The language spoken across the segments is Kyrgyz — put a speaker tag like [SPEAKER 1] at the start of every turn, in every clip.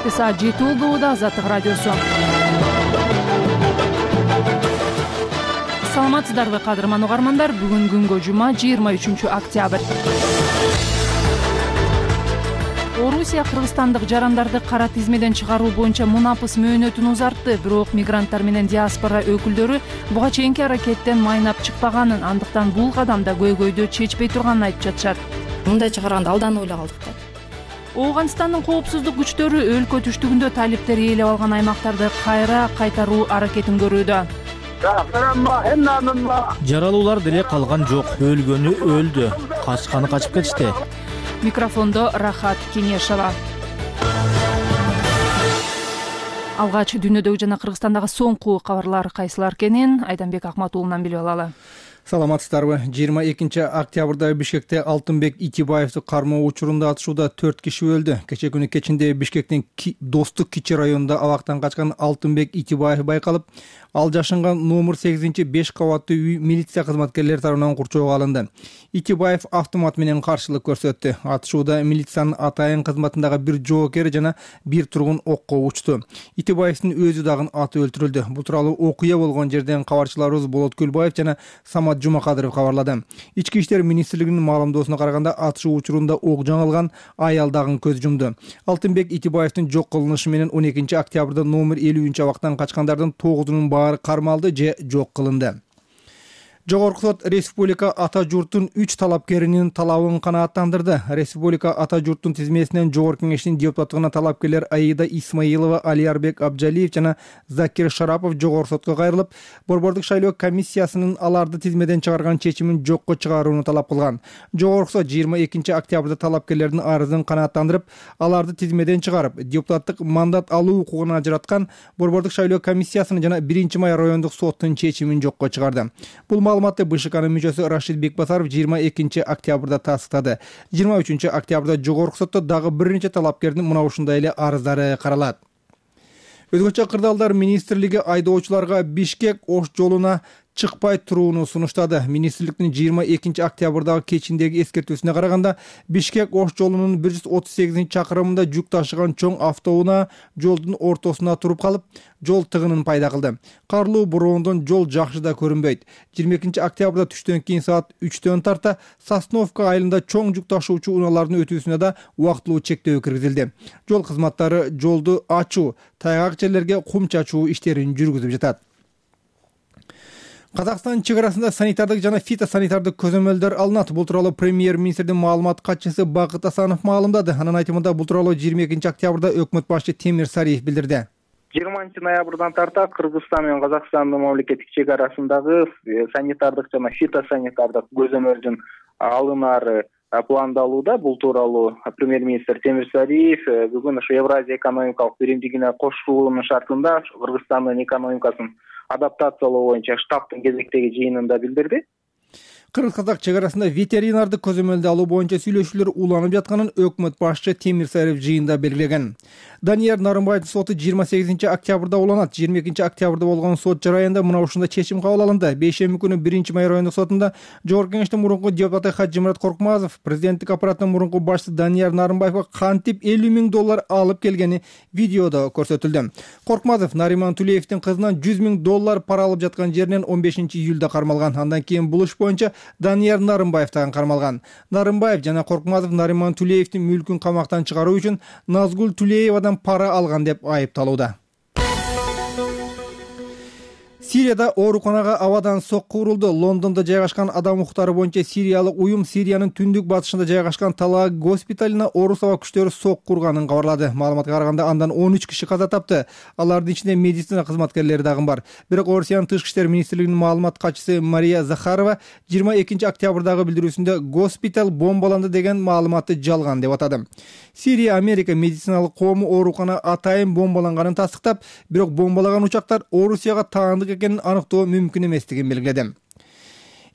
[SPEAKER 1] Саатты саат 7 болууда. Азаттык радиосу. Саламатсыздарбы кадырман угармандар? Бүгүн күнгө жума 23 октябрь. Орусия кыргызстандык жарандарды кара тизмеден чыгаруу боюнча мунапыс мөөнөтүн узартты. Бирок мигранттар менен диаспора өкүлдөрү буга чейинки аракеттен майнап чыкпаганын, андыктан бул кадамда көйгөйдү чечпей турганын айтып жатышат.
[SPEAKER 2] Мындай чыгарганда алдан ойлоп калдык да.
[SPEAKER 1] Ооганстандын коопсуздук күчтөрү өлкө түштүгүндө талиптер ээлеп алган аймактарды кайра кайтаруу аракетин көрүүдө.
[SPEAKER 3] Жаралуулар деле калган жок, өлгөнү өлдү, качканы качып кетишти.
[SPEAKER 1] Микрофондо Рахат Кенешова. Алгач дүйнөдөгү жана Кыргызстандагы соңку кабарлар кайсылар экенин Айданбек Акматуулунан билип алалы.
[SPEAKER 4] Саламатсыздарбы. 22 октябрда Бишкекте Алтынбек Итибаевди кармоо учурунда атышууда 4 киши өлдү. Кечээ күнү кечинде Бишкектин Достук Кичи районунда абактан качкан Алтынбек Итибаев байкалып, ал жашынган номер 8-5 кабаттуу үй милиция кызматкерлери тарабынан курчоого алынды. Итибаев автомат менен каршылык көрсөттү. Атышууда милициянын атайын кызматындагы бир жоокер жана бир тургун окко учту. Итибаевдин өзү дагы аты өлтүрүлдү. Бул тууралуу окуя болгон жерден кабарчыларыбыз Болот Күлбаев жана Самат Жумакадыров кабарлады. Ички иштер министрлигинин маалымдоосуна караганда атышуу учурунда ок жаңылган аял дагы көз жумду. Алтынбек Итибаевдин жок кылынышы менен 12 октябрда номер 50 абактан качкандардын 9-унун баары кармалды же жок кылынды. Жогорку сот республика ата журттун 3 талапкеринин талабын канааттандырды. Республика ата журттун тизмесинен жогорку кеңештин депутаттыгына талапкерлер Аида Исмаилова, Алиярбек Абжалиев жана Закир Шарапов жогорку сотко кайрылып, борбордук шайлоо комиссиясынын аларды тизмеден чыгарган чечимин жокко чыгарууну талап кылган. Жогорку сот 22 октябрда талапкерлердин арызын канааттандырып, аларды тизмеден чыгарып, депутаттык мандат алуу укугун ажыраткан борбордук шайлоо комиссиясынын жана 1-май райондук соттун чечимин жокко чыгарды. Бул маалыматты БШКнын мүчөсү Рашид Бекбасаров 22 октябрда тастыктады. 23 октябрда жогорку сотто дагы бир нече талапкердин мына ушундай эле арыздары каралат. Өзгөчө кырдаалдар министрлиги айдоочуларга Бишкек-Ош жолуна чыкпай турууну сунуштады. Министрликтин 22 октябрдагы кечиндеги эскертүүсүнө караганда, Бишкек-Ош жолунун 138-чакырымында жүк ташыган чоң автоунаа жолдун ортосуна туруп калып, жол тыгынын пайда кылды. Карлуу бороондон жол жакшы да көрүнбөйт. 22 октябрда түштөн кийин саат 3-төн тарта Сосновка айылында чоң жүк ташуучу унаалардын өтүүсүнө да убактылуу чектөө киргизилди. Жол кызматтары жолду ачуу, тайгак жерлерге кум чачуу иштерин жүргүзүп жатат. Казакстан чек арасында санитардык жана фитосанитардык көзөмөлдөр алынат. Бул тууралуу премьер-министрдин маалымат катчысы Бакыт Асанов маалымдады. Анын айтымында бул тууралуу 22 октябрда өкмөт башчы Темир Сариев билдирди.
[SPEAKER 5] 20 ноябрдан тарта Кыргызстан менен Казакстандын мамлекеттик чек арасындагы санитардык жана фитосанитардык көзөмөлдүн алынары пландалууда. Бул тууралуу премьер-министр Темир Сариев бүгүн Евразия экономикалык биримдигине кошулуунун шартында Кыргызстандын экономикасын адаптациялоо боюнча штабтын кезектеги жыйынында билдирди.
[SPEAKER 4] Кыргыз-казак чек арасында ветеринардык көзөмөлдү алуу боюнча сүйлөшүүлөр уланып жатканын өкмөт башчы Темир Сариев жыйында белгилеген. Данияр Нарымбаевдин соту 28 октябрда уланат. 22 октябрда болгон сот жараянда мына ушундай чечим кабыл алынды. Бейшемби күнү 1-май райондук сотунда жогорку кеңештин мурунку депутаты Хаджимурат Коркмазов президенттик аппараттын мурунку башчысы Данияр Нарымбаевга кантип $50,000 алып келгени видеодо көрсөтүлдү. Коркмазов Нариман Тулеевдин кызынан $100,000 пара алып жаткан жеринен 15 июлда кармалган. Андан кийин бул иш боюнча Данияр Нарымбаев дагы кармалган. Нарымбаев жана Коркмазов Нариман Тулеевдин мүлкүн камактан чыгаруу үчүн Назгул Тулеевадан пара алган деп айыпталууда. Сирияда ооруканага абадан сокку урулду. Лондондо жайгашкан адам укуктары боюнча сириялык уюм Сириянын түндүк батышында жайгашкан Талаа госпиталына орус аба күчтөрү сокку урганын кабарлады. Маалыматка караганда андан 13 киши каза тапты. Алардын ичинде медицина кызматкерлери дагы бар. Бирок Орусиянын тышкы иштер министрлигинин маалымат катчысы Мария Захарова 22 октябрдагы билдирүүсүндө госпиталь бомбаланды деген маалыматты жалган деп атады. Сирия Америка медициналык коому оорукана атайын бомбаланганын тастыктап, бирок бомбалаган учактар Орусияга таандык экенин аныктоо мүмкүн эместигин белгиледи.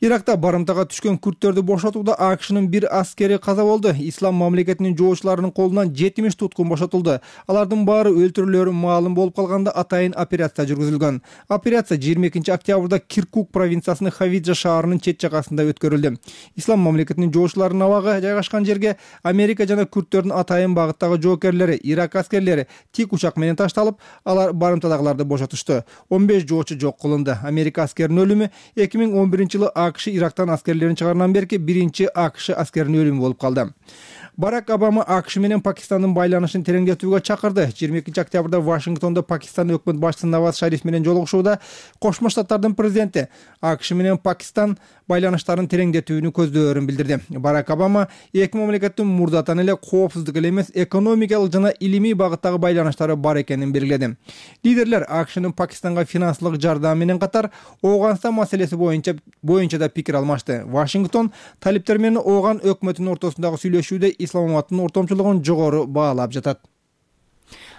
[SPEAKER 4] Иракта барымтага түшкөн күрттөрдү бошотууда АКШнын бир аскери каза болду. Ислам мамлекетинин жоочуларынын колунан 70 туткун бошотулду. Алардын баары өлтүрүлөрү маалым болуп калганда атайын операция жүргүзүлгөн. Операция 22 октябрда Киркук провинциясынын Хавиджа шаарынын чет жагасында өткөрүлдү. Ислам мамлекетинин жоочуларынын абагы жайгашкан жерге Америка жана күрттөрдүн атайын багыттагы жоокерлери, Ирак аскерлери тик учак менен ташталып, алар барымтадагыларды бошотушту. 15 жоочу жок кылынды. Америка аскеринин өлүмү 2011-жылы АКШ Ирактан аскерлерин чыгаргандан берки биринчи АКШ аскеринин өлүмү болуп калды. Барак Обама АКШ менен Пакистандын байланышын тереңдетүүгө чакырды. 22 октябрда Вашингтондо Пакистан өкмөт башчысы Наваз Шариф менен жолугушууда Кошмо Штаттардын президенти АКШ менен Пакистан байланыштарын тереңдетүүнү көздөөрүн билдирди. Барак Обама эки мамлекеттин мурдатан эле коопсуздук эле эмес, экономикалык жана илимий багыттагы байланыштары бар экенин белгиледи. Лидерлер АКШнын Пакистанга финансылык жардам менен катар Ооганстан маселеси боюнча да пикир алмашты. Вашингтон талиптер менен Ооган өкмөтүнүн ортосундагы сүйлөшүүдө исламабадтын ортомчулугун жогору баалап жатат.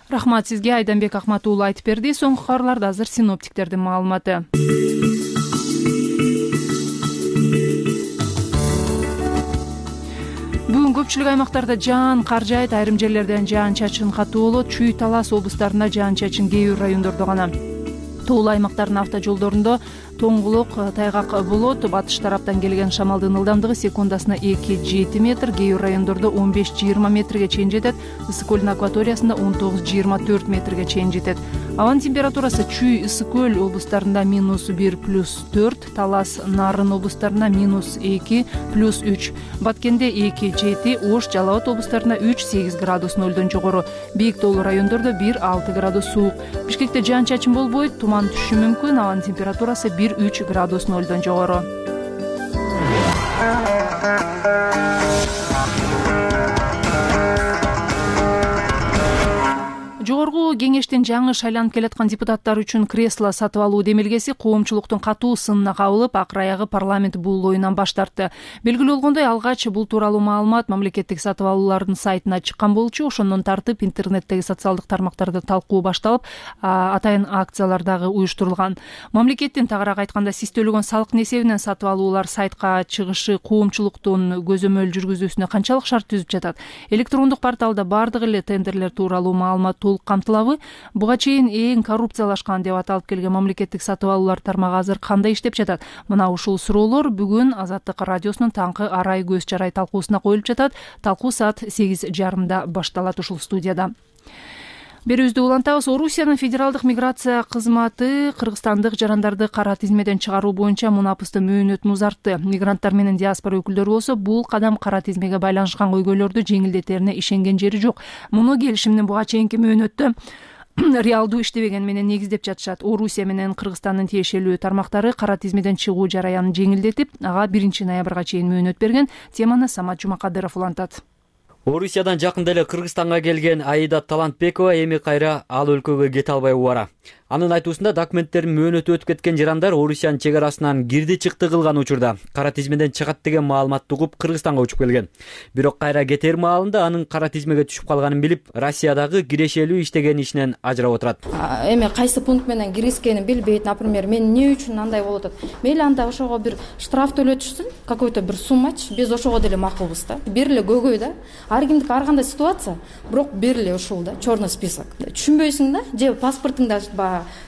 [SPEAKER 1] Рахмат сизге, Айданбек Акмат уулу айтып берди. Соңку кабарларда азыр синоптиктердин маалыматы. Бүгүн көпчүлүк аймактарда жаан кар жаайт, айрым жерлерден жаан-чачын катуу болот. Чүй, Талас облустарында жаан-чачын кээ бир райондордо гана. Тоолуу аймактардын автожолдорунда тоңгулук, тайгак болот. Батыш тараптан келген шамалдын ылдамдыгы секундасына 2-7 метр, кээ бир райондордо 15-20 метрге чейин жетет. Ысык көлдүн акваториясында 19-24 метрге чейин жетет. Абанын температурасы Чүй, Ысык көл облустарында -1+4, Талас, Нарын облустарында -2, +3, Баткенде 2-7, Ош, Жалал Абад облустарында 3-8 градус нөлдөн жогору. Бийик тоолуу райондордо 1-6 градус суук. Бишкекте жаан-чачын болбойт, туман түшүшү мүмкүн. Абанын температурасы 1-3 градус нөлдөн жогору. Жогорку кеңештин жаңы шайланып келаткан депутаттар үчүн кресло сатып алуу демилгеси коомчулуктун катуу сынына кабылып, акыр аягы парламент бул оюнан баш тартты. Белгилүү болгондой, алгач бул тууралуу маалымат мамлекеттик сатып алуулардын сайтына чыккан болчу. Ошондон тартып интернеттеги социалдык тармактарда талкуу башталып, атайын акциялар дагы уюштурулган. Мамлекеттин тагыраак айтканда сиз төлөгөн салыктын эсебинен сатып алуулар сайтка чыгышы коомчулуктун көзөмөл жүргүзүүсүнө канчалык шарт түзүп жатат? Электрондук порталда бардык эле тендерлер тууралуу маалымат толук камтылабы? Буга чейин эң коррупциялашкан деп аталып келген мамлекеттик сатып алуулар тармагы азыр кандай иштеп жатат? Мына ушул суроолор бүгүн Азаттык радиосунун таңкы арай көз чарай талкуусуна коюлуп жатат. Талкуу саат 8:30 башталат ушул студияда. Берүүбүздү улантабыз. Орусиянын федералдык миграция кызматы кыргызстандык жарандарды кара тизмеден чыгаруу боюнча мунапысты мөөнөтүн узартты. Мигранттар менен диаспора өкүлдөрү болсо бул кадам кара тизмеге байланышкан көйгөйлөрдү жеңилдетерине ишенген жери жок. Муну келишимдин буга чейинки мөөнөттө реалдуу иштебеген менен негиздеп жатышат. Орусия менен Кыргызстандын тиешелүү тармактары кара тизмеден чыгуу жараянын жеңилдетип, ага 1 ноябрга чейин мөөнөт берген. Теманы Самат Жумакадыров улантат.
[SPEAKER 6] Орусиядан жакында эле Кыргызстанга келген Аида Талантбекова эми кайра ал өлкөгө кете албай убара. Анын айтуусунда документтерин мөөнөтү өтүп кеткен жарандар Орусиянын чек арасынан кирди-чыкты кылган учурда кара тизмеден чыгат деген маалыматты угуп Кыргызстанга учуп келген. Бирок кайра кетер маалында анын кара тизмеге түшүп калганын билип, Россиядагы кирешелүү иштеген ишинен ажырап отурат.
[SPEAKER 2] Эми кайсы пункт менен киргизгенин билбейт. Например, мен эмне үчүн андай болуп атат? Мейли анда ошого бир штраф төлөтүшсүн, какой-то бир суммач, биз ошого деле макулбуз да. Бир эле көйгөй да. Ар кимдики ар кандай ситуация, бирок бир эле ушул да, чёрный список. Түшүнбөйсүң да, же паспортуңда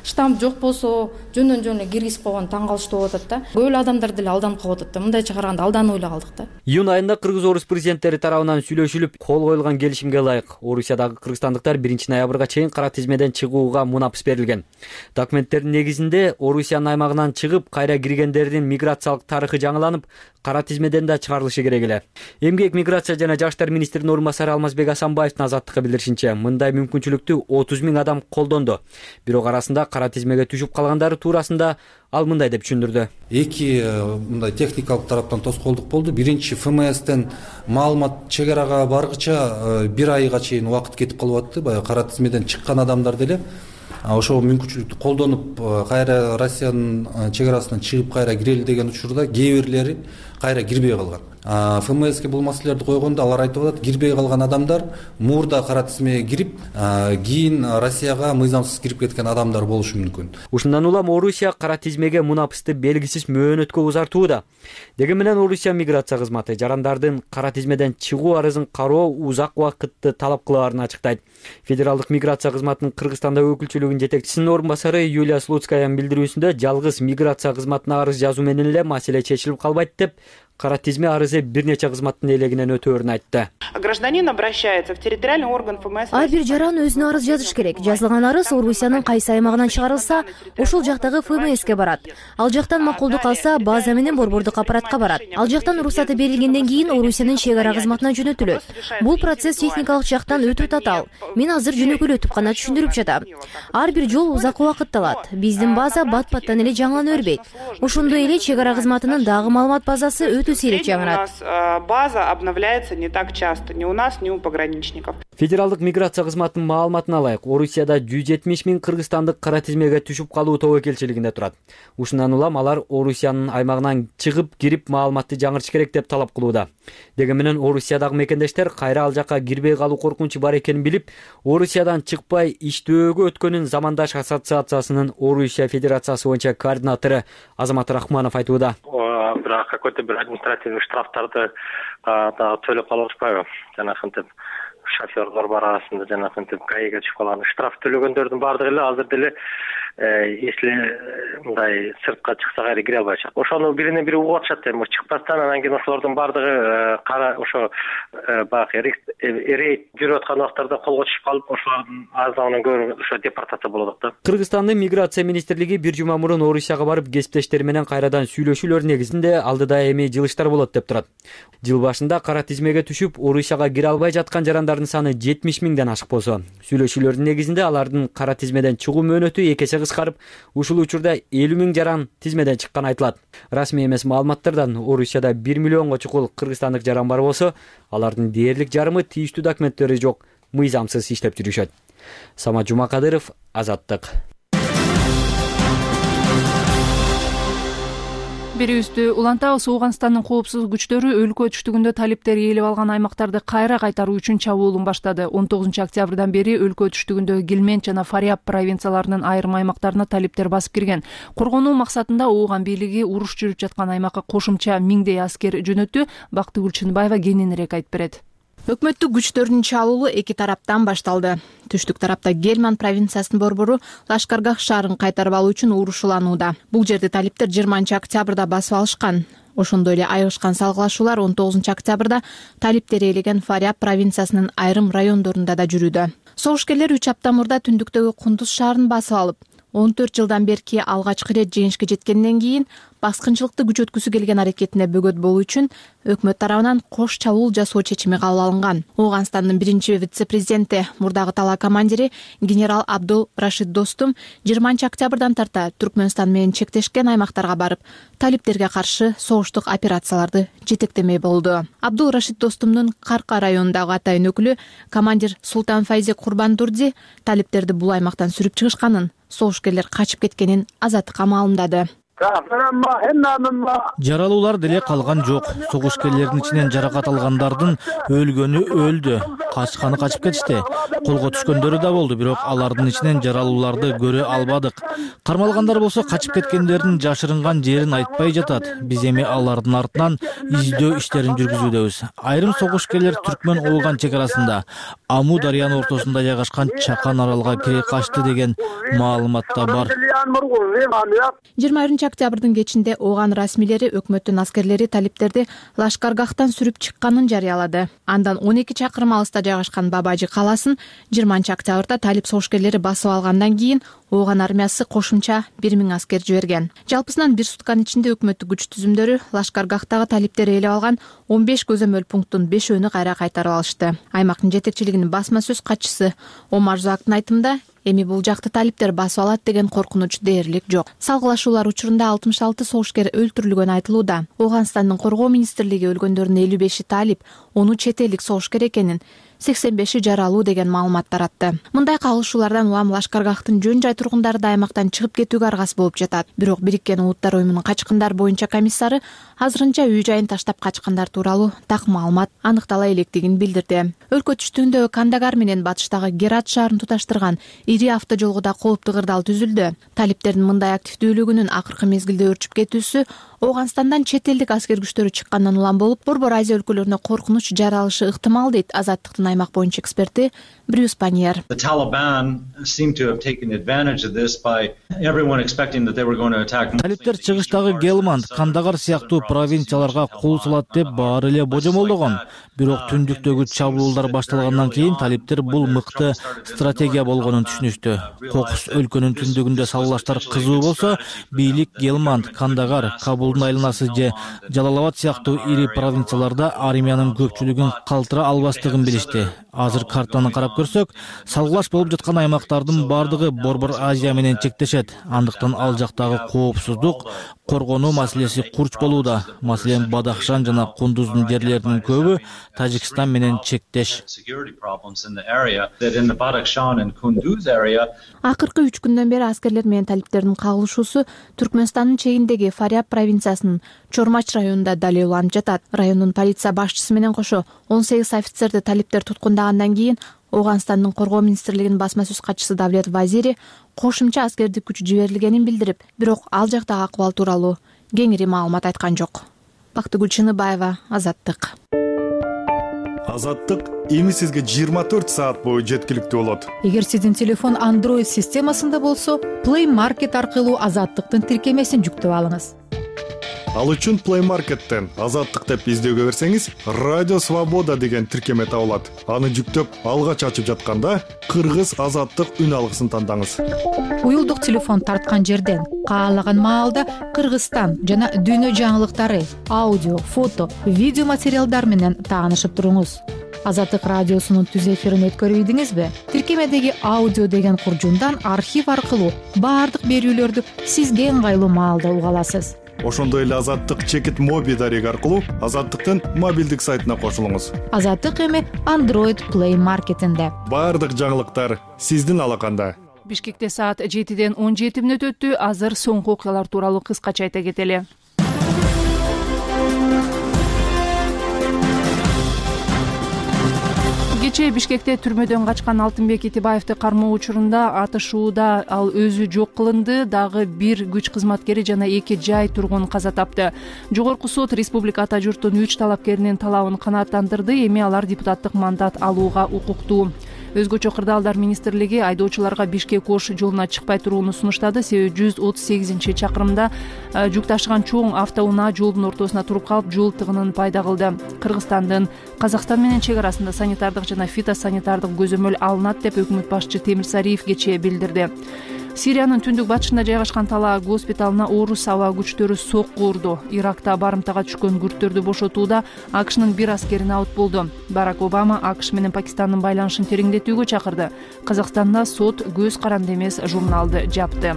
[SPEAKER 2] штамп жок болсо, жөндөн эле киргизип койгон таң калыштуу болуп атат да. Көп эле адамдар деле алданып калып атат да. Мындай чыгарганда алданып эле калдык да.
[SPEAKER 6] Июнь айында Кыргыз-Орус президенттери тарабынан сүйлөшүлүп, кол коюлган келишимге ылайык Орусиядагы кыргызстандыктар 1 ноябрга чейин кара тизмеден чыгууга мунапыс берилген. Документтердин негизинде Орусиянын аймагынан чыгып, кайра киргендердин миграциялык тарыхы жаңыланып, кара тизмеден да чыгарылышы керек эле. Эмгек, миграция жана жаштар министринин орун басары Алмазбек Асанбаевдин Азаттыкка билдиришинче, мындай мүмкүнчүлүктү 30 000 адам колдонду. Бирок арасында кара тизмеге түшүп калгандары туурасында ал мындай деп түшүндүрдү.
[SPEAKER 7] Эки мындай техникалык тараптан тоскоолдук болду. Биринчи ФМСтен маалымат чек арага баргыча 1 айга чейин убакыт кетип калып атты. Баягы кара тизмеден чыккан адамдар деле ошол мүмкүнчүлүктү колдонуп, кайра Россиянын чек арасынан чыгып кайра кирели деген учурда кээ бирлери кайра кирбей калган. ФМСке бул маселелерди койгондо алар айтып атат, кирбей калган адамдар мурда кара тизмеге кирип, кийин Россияга мыйзамсыз кирип кеткен адамдар болушу мүмкүн.
[SPEAKER 6] Ушундан улам Орусия кара тизмеге мунапысты белгисиз мөөнөткө узартууда. Деги менен Орусия миграция кызматы жарандардын кара тизмеден чыгуу арызын кароо узак убакытты талап кылаарын ачыктайт. Федералдык миграция кызматынын Кыргызстанда өкүлчүлүгүнүн жетекчисинин орун басары Юлия Слуцкаянын билдирүүсүндө жалгыз миграция кызматына арыз жазуу менен эле маселе чечилип калбайт деп, кара тизме арызы бир нече кызматтын элегинен өтөөрүн айтты.
[SPEAKER 8] Гражданин обращается в территориальный орган ФМС.
[SPEAKER 9] Ар бир жаран өзүнө арыз жазыш керек. Жазылган арыз Орусиянын кайсы аймагынан чыгарылса, ошол жактагы ФМСке барат. Ал жактан макулдук алса, база менен борбордук аппаратка барат. Ал жактан уруксаты берилгенден кийин Орусиянын чек ара кызматына жөнөтүлөт. Бул процесс техникалык жактан өтө татаал. Мен азыр жөнөкөйлөтүп гана түшүндүрүп жатам. Ар бир жол узак убакыт алат. Биздин база бат-баттан эле жаңылана өрбөйт. Ошондой эле чек ара кызматынын дагы маалымат базасы өтө сейрек жаңырат.
[SPEAKER 8] База обновляется не так часто, ни у нас, ни у пограничников.
[SPEAKER 6] Федералдык миграция кызматынын маалыматына ылайык, Орусияда 170 000 кыргызстандык кара тизмеге түшүп калуу тобокелчилигинде турат. Ушундан улам алар Орусиянын аймагынан чыгып кирип маалыматты жаңыртыш керек деп талап кылууда. Деги менен Орусиядагы мекендештер кайра ал жакка кирбей калуу коркунучу бар экенин билип, Орусиядан чыкпай иштөөгө өткөнүн Замандаш ассоциациясынын Орусия Федерациясы боюнча координатору Азамат Рахманов айтууда.
[SPEAKER 10] Бирок какой-то бир административный штрафтарды төлөп калып атпайбы? Жанагынтип шофёрлор бар арасында жанагынтип ГАИга чыгып калган штраф төлөгөндөрдүн баардыгы эле азыр деле если мындай сыртка чыкса кайра кире албай атышат. Ошону биринен бири угуп атышат эми чыкпастан, анан кийин ошолордун баардыгы кара ошо баягы рейд жүрүп аткан убактарда колго түшүп калып, ошолордун азабынан көрүп ошо депортация болот да.
[SPEAKER 6] Кыргызстандын миграция министрлиги бир жума мурун Орусияга барып кесиптештери менен кайрадан сүйлөшүүлөр негизинде алдыда эми жылыштар болот деп турат. Жыл башында кара тизмеге түшүп Орусияга кире албай жаткан жарандардын саны 70 000ден ашык болсо, сүйлөшүүлөрдүн негизинде алардын кара тизмеден чыгуу мөөнөтү 2 эсе кыскарып, ушул учурда 50 000 жаран тизмеден чыкканы айтылат. Расмий эмес маалыматтардан Орусияда 1 миллионго чукул кыргызстандык жаран бар болсо, алардын дээрлик жарымы тийиштүү документтери жок, мыйзамсыз иштеп жүрүшөт. Самат Жумакадыров, Азаттык.
[SPEAKER 1] Берүүбүздү улантабыз. Ооганстандын коопсуздук күчтөрү өлкө түштүгүндө талиптер ээлеп алган аймактарды кайра кайтаруу үчүн чабуулун баштады. 19 октябрдан бери өлкө түштүгүндө Гилмент жана Фариаб провинцияларынын айрым аймактарына талиптер басып кирген. Коргонуу максатында Ооган бийлиги уруш жүрүп жаткан аймакка кошумча 1000дей аскер жөнөттү. Бактыгүл Чынбаева кененирээк айтып берет.
[SPEAKER 11] Өкмөттүк күчтөрдүн чабуулу эки тараптан башталды. Түштүк тарапта Гельман провинциясынын борбору Лашкаргах шаарын кайтарып алуу үчүн урушуланууда. Бул жерди талиптер 20 октябрда басып алышкан. Ошондой эле айыгышкан салгылашуулар 19 октябрда талиптер ээлеген Фариаб провинциясынын айрым райондорунда да жүрүүдө. Согушкерлер 3 апта мурда түндүктөгү Кундуз шаарын басып алып, 14 жылдан берки алгачкы ирет жеңишке жеткенден кийин баскынчылыкты күчөткүсү келген аракетине бөгөт болуу үчүн өкмөт тарабынан кош чабуул жасоо чечими кабыл алынган. Ооганстандын биринчи вице-президенти, мурдагы тала командири генерал Абдул Рашид Достум 20 октябрдан тарта Түркмөнстан менен чектешкен аймактарга барып, талиптерге каршы согуштук операцияларды жетектемей болду. Абдул Рашид Достумдун Карка районундагы атайын өкүлү командир Султан Файзи Курбандурди талиптерди бул аймактан сүрүп чыгышканын, согушкерлер качып кеткенин Азаттыкка маалымдады.
[SPEAKER 3] Жаралуулар деле калган жок. Согушкерлердин ичинен жаракат алгандардын өлгөнү өлдү, качканы качып кетишти. Колго түшкөндөрү да болду, бирок алардын ичинен жаралууларды көрө албадык. Кармалгандар болсо качып кеткендердин жашырынган жерин айтпай жатат. Биз эми алардын артынан издөө иштерин жүргүзүүдөбүз. Айрым согушкерлер Түркмөн-Ооган чек арасында Аму дарыянын ортосунда жайгашкан Чакан аралга кире качты деген маалымат да бар.
[SPEAKER 11] 20 октябрдын кечинде Ооган расмийлери өкмөттүн аскерлери талиптерди Лашкаргахтан сүрүп чыкканын жарыялады. Андан 12 чакырым алыста жайгашкан Бабажы калаасын 20 октябрда талип согушкерлери басып алгандан кийин Ооган армиясы кошумча 1000 аскер жиберген. Жалпысынан бир сутканын ичинде өкмөттүк күч түзүмдөрү Лашкаргахтагы талиптер ээлеп алган 15 көзөмөл пункттун 5-өөнү кайра кайтарып алышты. Аймактын жетекчилигинин басма сөз катчысы Омар Зуактын айтымында, эми бул жакты талиптер басып алат деген коркунуч дээрлик жок. Салгылашуулар учурунда 66 согушкер өлтүрүлгөнү айтылууда. Ооганстандын коргоо министрлиги өлгөндөрдүн 55-и талип, 10 чет элдик согушкер экенин, 85 жаралуу деген маалымат таратты. Мындай кагылышуулардан улам Лашкаргахтын жөн жай тургундары да аймактан чыгып кетүүгө аргасы болуп жатат. Бирок Бириккен Улуттар уюмунун качкындар боюнча комиссары азырынча үй жайын таштап качкандар тууралуу так маалымат аныктала электигин билдирди. Өлкө түштүгүндөгү Кандагар менен батыштагы Герат шаарын туташтырган ири автожолго кооптуу кырдаал түзүлдү. Талиптердин мындай активдүүлүгүнүн акыркы мезгилде өрчүп кетүүсү Ооганстандан чет элдик аскер күчтөрү чыккандан улам болуп, Борбор Азия өлкөлөрүнө коркунуч жаралышы ыктымал дейт Азаттыктын аймак боюнча эксперти Брюс Паньер.
[SPEAKER 3] Талиптер чыгыштагы Гелманд, Кандагар сыяктуу провинцияларга кол салат деп баары эле божомолдогон. Бирок түндүктөгү чабуулдар башталгандан кийин талиптер бул мыкты стратегия болгонун түшүнүштү. Кокус өлкөнүн түндүгүндө саллаштар кызуу болсо, бийлик Гелманд, Кандагар, Кабулдун айланасы же Жалалабад сыяктуу ири провинцияларда армиянын көпчүлүгүн калтыра албастыгын билишти. Азыр картаны карап көрсөк, салгылаш болуп жаткан аймактардын бардыгы Борбор Азия менен чектешет. Андыктан ал жактагы коопсуздук, коргонуу маселеси курч болууда. Маселен, Бадахшан жана Кундуздун жерлеринин көбү Тажикстан менен чектеш.
[SPEAKER 11] Акыркы 3 күндөн бери аскерлер менен талиптердин кагылышуусу Түркмөнстандын чегиндеги Фаряб провинциясынын Чормач районунда далилдалып жатат. Райондун полиция башчысы менен кошо 18 офицерди талиптер туткундагандан кийин Ооганстандын коргоо министрлигинин басма сөз катчысы Давлет Вазири кошумча аскердик күч жиберилгенин билдирип, бирок ал жактагы акыбал тууралуу кеңири маалымат айткан жок. Бактыгүл Чыныбаева, Азаттык.
[SPEAKER 12] Азаттык эми сизге 24 саат бою жеткиликтүү болот.
[SPEAKER 13] Эгер сиздин телефон Android системасында болсо, Play Market аркылуу Азаттыктын тиркемесин жүктөп алыңыз.
[SPEAKER 12] Ал үчүн Play Market'тен Азаттык деп издөөгө берсеңиз, Радио Свобода деген тиркеме табылат. Аны жүктөп, алгач ачып жатканда Кыргыз Азаттык үн алгысын тандаңыз.
[SPEAKER 13] Уюлдук телефон тарткан жерден каалаган маалда Кыргызстан жана дүйнө жаңылыктары, аудио, фото, видео материалдар менен таанышып туруңуз. Азаттык радиосунун түз эфирин өткөрүп ийдиңизби? Тиркемедеги аудио деген куржундан архив аркылуу баардык берүүлөрдү сизге ыңгайлуу маалда уга аласыз.
[SPEAKER 12] Ошондой эле Азаттык чекит моби дареги аркылуу Азаттыктын мобилдик сайтына кошулуңуз.
[SPEAKER 13] Азаттык эми Android Play Market'инде.
[SPEAKER 12] Баардык жаңылыктар сиздин алаканда.
[SPEAKER 1] Бишкекте саат 7-ден 17 мүнөт өттү. Азыр соңку окуялар тууралуу кыскача айта кетели. Кечээ Бишкекте түрмөдөн качкан Алтынбек Итибаевди кармоо учурунда атышууда ал өзү жок кылынды. Дагы бир күч кызматкери жана 2 жай тургун каза тапты. Жогорку сот республика ата журттун 3 талапкеринин талабын канааттандырды. Эми алар депутаттык мандат алууга укуктуу. Өзгөчө кырдаалдар министрлиги айдоочуларга Бишкек-Ош жолуна чыкпай турууну сунуштады. Себеби 138-чакырымда жүк ташыган чоң автоунаа жолдун ортосуна туруп калып, жол тыгынын пайда кылды. Кыргызстандын Казакстан менен чек арасында санитардык жана фитосанитардык көзөмөл алынат деп өкмөт башчы Темир Сариев кечээ билдирди. Сириянын түндүк батышында жайгашкан Талаа госпиталына орус аба күчтөрү сокку урду. Иракта барымтага түшкөн күрттөрдү бошотууда АКШнын бир аскери абут болду. Барак Обама АКШ менен Пакистандын байланышын тереңдетүүгө чакырды. Казакстанда сот көз каранды эмес журналды жапты.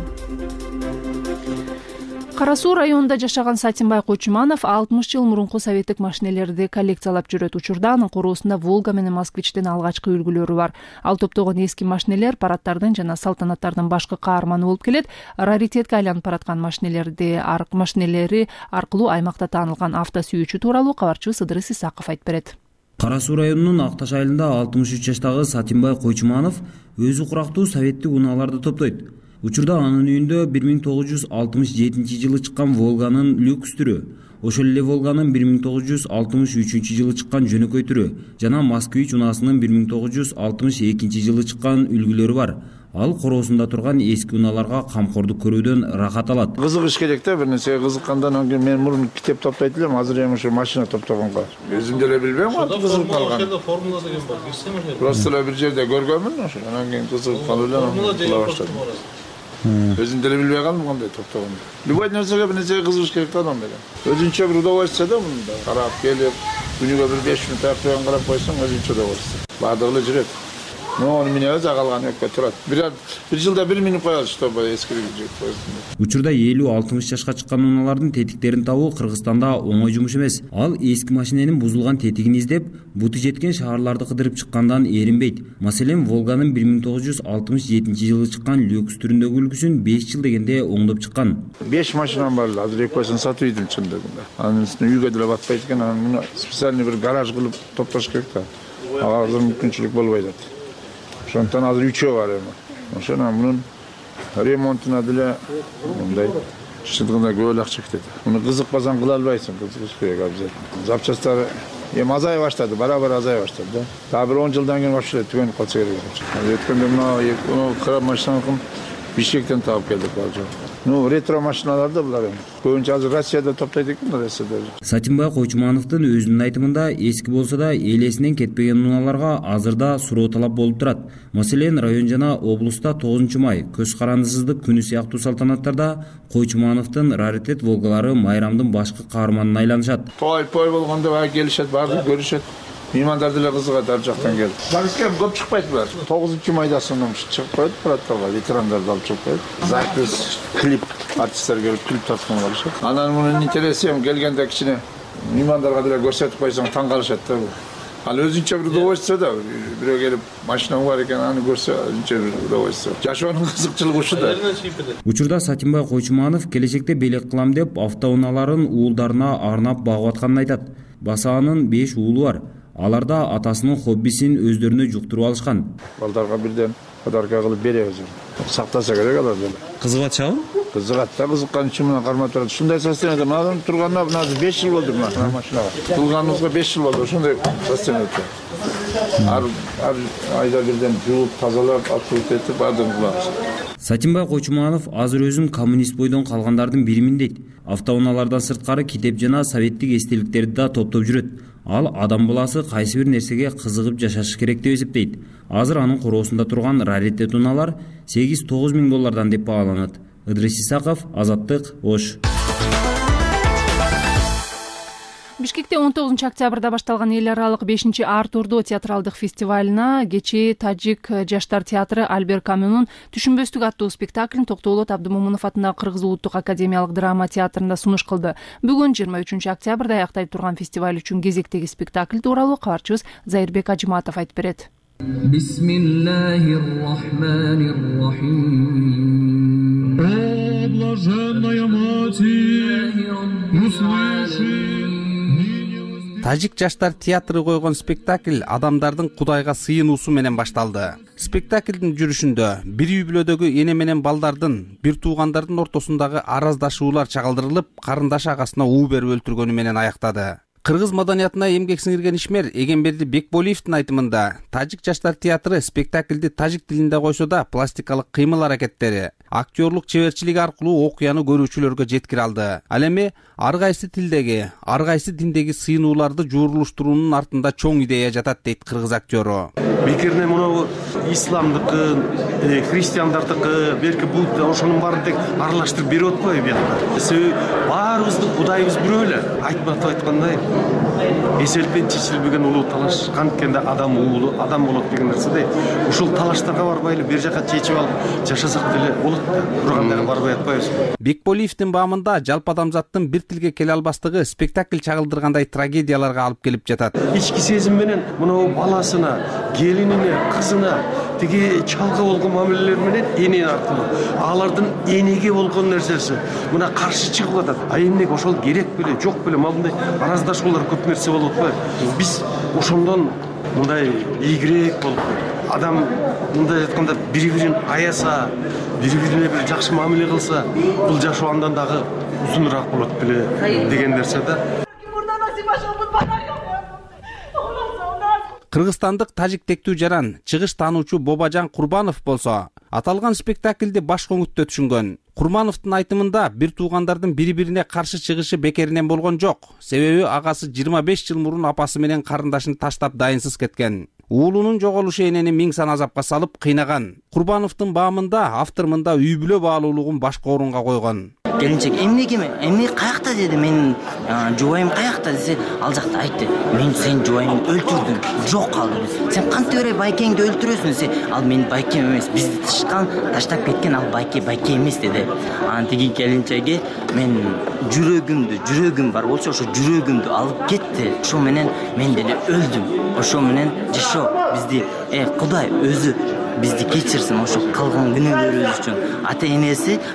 [SPEAKER 1] Кара Суу районунда жашаган Сатимбай Койчуманов 60 жыл мурунку советтик машинелерди коллекциялап жүрөт. Учурда анын короосунда Волга менен Москвичтин алгачкы үлгүлөрү бар. Ал топтогон эски машинелер парадтардын жана салтанаттардын башкы каарманы болуп келет. Раритетке айланып бараткан машинелери аркылуу аймакта таанылган автосүйүүчү тууралуу кабарчыбыз Ыдырыс Исаков айтып берет.
[SPEAKER 14] Кара Суу районунун Акташ айылында 63 жаштагы Сатимбай Койчуманов өзү курактуу советтик унааларды топтойт. Учурда анын үйүндө 1967 жылы чыккан Волганын люкс түрү, ошол эле Волганын 1963 жылы чыккан жөнөкөй түрү жана Москвич унаасынын 1962 жылы чыккан үлгүлөрү бар. Ал короосунда турган эски унааларга камкордук көрүүдөн рахат алат.
[SPEAKER 15] Кызыгыш керек да, бир нерсеге кызыккандан кийин мен мурун китеп топтойт элем, азыр эми ушу машина топтогонго. Өзүм деле билбейм, кантип кызыгып калган. Формула деген бар, билсем эле. Просто эле бир жерде көргөнмүн, ошо анан кийин кызыгып калып эле кыла баштадым. Өзүм деле билбей калдым кандай топтогонду. Любой нерсеге бир нерсеге кызыгыш керек да адам менен. Өзүнчө бир удовольствие да мында. Карап келип, күнүгө бир 5 мүнөт аяк карап койсоң өзүнчө удовольствие. Баардыгы эле жүрөт. Onu minebиз, калган экөө турат. Bir жылда 1 минут коебуз, чтобы эскирүүгө коебуз.
[SPEAKER 14] Учурда 50-60 жашка чыккан унаалардын тетиктерин табуу Кыргызстанда оңой жумуш эмес. Ал эски машиненин бузулган тетигин издеп, бути жеткен шаарларды кыдырып чыккандан эринбейт. Маселен, Волганын 1967-жылы чыккан люкс түрүндөгү үлгүсүн 5 жыл дегенде оңдоп чыккан.
[SPEAKER 15] 5 машинам бар, азыр экөөсүн сатып ийдим чындыгында. Анын үстүнө үйгө деле батпайт экен, аны специальный бир гараж кылып топтош керек да. Азыр мүмкүнчүлүк болбой атат. Ошондон азыр 3 бар эми. Ошону мунун ремонтуна деле мындай чындыгында көп эле акча кетет. Муну кызыкпасаң кыла албайсың, кызыгыш керек обязательно. Запчасттары эми азая баштады, бара-бара азая баштады да. Дагы бир 10 жылдан кийин вообще түгөнүп калса керек. Өткөндө мына кара машинаны Бишкектен таап келдик балжа. Ретро машиналарды булар эми. Көбүнчө азыр Россияда топтойт экен, Россияда.
[SPEAKER 14] Сатимбай Койчумановдун өзүнүн айтымында эски болсо да элесинен кетпеген унааларга азырда суроо талап болуп турат. Маселен, район жана облуста 9 май көз карандысыздык күнү сыяктуу салтанаттарда Койчумановдун раритет Волгалары майрамдын башкы каарманына айланышат.
[SPEAKER 15] Той болгондо баа келишет, баары көрүшөт. Меймандар деле кызыгат ар жактан келип. Башка көп чыкпайт булар. 9 майда сонун чыгып коет, парадтарга ветерандарды алып чыгып коет. Запись, клип, артисттер келип клип тарткан болушат. Анан мунун интереси келгенде кичине меймандарга деле көрсөтүп койсоң таң калышат да. Ал өзүнчө бир удовольствие да. Бирөө келип машина бар экен, аны көрсө өзүнчө бир удовольствие. Жашоонун кызыкчылыгы ушу да.
[SPEAKER 14] Учурда Сатимбай Койчуманов келечекте белек кылам деп автоунааларын уулдарына арнап багып атканын айтат. Басаанын 5 уулу бар. Аларда атасынын хоббисин өздөрүнө жуктуруп алышкан.
[SPEAKER 15] Балдарга бирден подарка кылып беребиз. Сактаса керек алар деле.
[SPEAKER 14] Кызыгат чабы?
[SPEAKER 15] Кызыгат да, кызыккан үчүн мына кармап турат. Ушундай состоянияда мындан турганына мына 5 жыл болду мына машинага. Турганыбызга 5 жыл болду, ушундай состоянияда. Ар айда бирден жууп, тазалап, атып этип бардыгын кылабыз.
[SPEAKER 14] Сатимбай Койчуманов азыр өзүн коммунист бойдон калгандардын биримин дейт. Автоунаалардан сырткары китеп жана советтик эстеликтерди да топтоп жүрөт. Ал адам баласы кайсы бир нерсеге кызыгып жашашы керек деп эсептейт. Азыр анын короосунда турган раритет унаалар $8-9 миң деп бааланат. Ыдрис Исаков, Азаттык, Ош.
[SPEAKER 1] Бишкекте 19 октябрда башталган эл аралык 5 Артурдо театралдык фестивалына кечээ Тажик жаштар театры Альбер Камюнун Түшүнбөстүк аттуу спектаклин Токтоолот Абдымомунов атындагы Кыргыз улуттук академиялык драма театрында сунуш кылды. Бүгүн 23 октябрда аяктай турган фестиваль үчүн кезектеги спектакль тууралуу кабарчыбыз Зайырбек Ажыматов айтып берет.
[SPEAKER 16] Бисмиллахир-рахманир-рахим. О, блаженная Матерь, услыши.
[SPEAKER 17] Тажик жаштар театры койгон спектакль адамдардын Кудайга сыйынуусу менен башталды. Спектаклдин жүрүшүндө бир үй бүлөдөгү эне менен балдардын, бир туугандардын ортосундагы араздашуулар чагылдырылып, карындаш агасына уу берип өлтүргөнү менен аяктады. Кыргыз маданиятына эмгек сиңирген ишмер Эгемберди Бекболиевдин айтымында, Тажик жаштар театры спектаклди тажик тилинде койсо да пластикалык кыймыл аракеттери, актерлук чеберчилиги аркылуу окуяны көрүүчүлөргө жеткире алды. Ал эми ар кайсы тилдеги, ар кайсы диндеги сыйынууларды жуурулуштуруунун артында чоң идея жатат дейт кыргыз актёру.
[SPEAKER 18] Бекерне мына исламдыкы, христиандардыкы, берки Будда ошонун баарын тек аралаштырып берип атпайбы биякта. Себеби баарыбыздын Кудайыбыз бирөө эле. Айтматов айткандай, эселтен чечилбеген улуу талаш канткенде адам уулу, адам болот деген нерседе. Ушул талаштарга барбайлы бер жака чечип алып жашасак деле болот да. Бирок барбай атпайбыз.
[SPEAKER 17] Бекболиевдин баамында жалпы адамзаттын бир тилге келе албастыгы спектакль чагылдыргандай трагедияларга алып келип жатат.
[SPEAKER 18] Ички сезим менен мына баласына, келинине, кызына тиги чалга болгон мамилелер менен эне аркылуу алардын энеге болгон нерсеси мына каршы чыгып атат. А эмнеге ошол керек беле, жок беле, мындай араздашуулар көп нерсе болуп атпайбы? Биз ошондон мындай ийгирээк болуп, адам мындай айтканда бири-бирин аяса, бири-бирине бир жакшы мамиле кылса, бул жашоо андан дагы узунураак болот беле деген нерсе да.
[SPEAKER 17] Кыргызстандык тажик тектүү жаран, чыгыш таануучу Бобажан Курбанов болсо, аталган спектаклди баш көңүттө түшүнгөн. Курмановдун айтымында бир туугандардын бири-бирине каршы чыгышы бекеринен болгон жок. Себеби агасы 25 жыл мурун апасы менен карындашын таштап дайынсыз кеткен. Уулунун жоголушу энени миң сан азапка салып кыйнаган. Курбановдун баамында автор мында үй бүлө баалуулугун башкы орунга койгон.
[SPEAKER 19] келинчек эмне каякта деди, менин жубайым каякта десе, ал жакта айтты, мен сенин жубайыңды өлтүрдүм, жок калды. Сен кантип эле байкеңди өлтүрөсүң десе, ал менин байкем эмес, бизди таштап кеткен ал байке эмес деди. Анан тиги келинчеги мен жүрөгүм бар болчу, ошо жүрөгүмдү алып кетти. Ошо менен мен деле өлдүм. Ошо менен жашоо бизди Кудай өзү бизди кечирсин, ошо кылган күнөөлөрүбүз үчүн.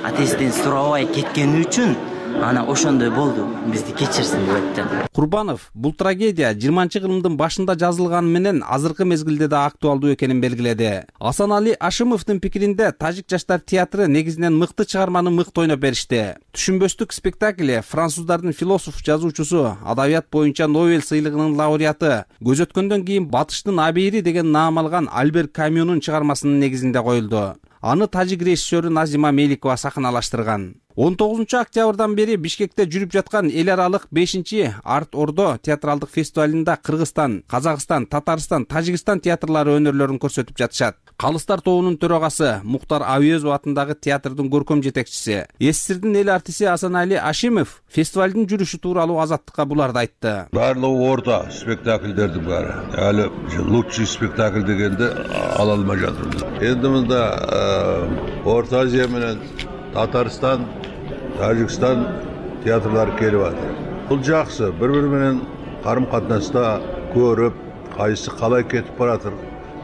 [SPEAKER 19] Атесиден сурабай кеткени үчүн ана ошондой болду, бизди кечирсин деп айтты.
[SPEAKER 17] Курбанов бул трагедия 20-кылымдын башында жазылганы менен азыркы мезгилде да актуалдуу экенин белгиледи. Асанали Ашимовдун пикиринде, тажик жаштар театры негизинен мыкты чыгарманы мыкты ойноп беришти. Түшүнбөстүк спектакли француздардын философ, жазуучусу, адабият боюнча Нобель сыйлыгынын лауреаты, көз өткөндөн кийин Батыштын абийири деген наам алган Альбер Камюнун чыгармасынын негизинде коюлду. Аны тажик режиссеру Назима Меликова сахналаштырган. 19-октябрдан бери Бишкекте жүрүп жаткан эл аралык 5-чи Арт Ордо театралдык фестивалында Кыргызстан, Казакстан, Татарстан, Тажикстан театрлары өнөрлөрүн көрсөтүп жатышат. Калыстар тобунун төрагасы Муктар Абиезов атындагы театрдын көркөм жетекчиси, СССРдин эл артисти Асанали Ашимов фестивалдын жүрүшү тууралуу Азаттыкка буларды айтты.
[SPEAKER 20] Барлыгы орта спектакльдердин баары. Али лучший спектакль дегенди ала алмай жатырбыз. Энди мында Орто Азия менен Татарстан, Тажикстан театрлары келип атат. Бул жакшы, бири-бири менен карым-катнаста көрүп, кайсы калай кетип баратыр,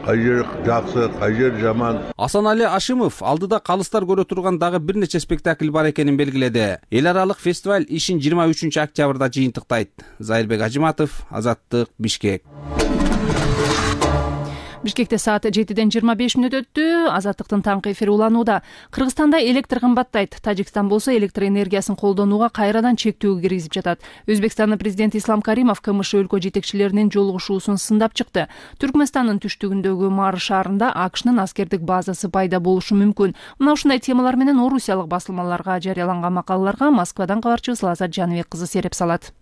[SPEAKER 20] кай жер жакшы, кай жер жаман.
[SPEAKER 17] Асанали Ашимов алдыда калыстар көрө турган дагы бир нече спектакль бар экенин белгиледи. Эл аралык фестиваль ишин 23-октябрда жыйынтыктайт. Зайырбек Ажиматов, Азаттык, Бишкек.
[SPEAKER 1] Бишкекте саат 7:25 өттү. Азаттыктын таңкы эфири уланууда. Кыргызстанда электр кымбаттайт. Тажикстан болсо электр энергиясын колдонууга кайрадан чектөө киргизип жатат. Өзбекстандын президенти Ислам Каримов КМШ өлкө жетекчилеринин жолугушуусун сындап чыкты. Түркмөнстандын түштүгүндөгү Мары шаарында АКШнын аскердик базасы пайда болушу мүмкүн. Мына ушундай темалар менен орусиялык басылмаларга жарыяланган макалаларга Москвадан кабарчыбыз Лазат Жаныбек кызы сереп салат.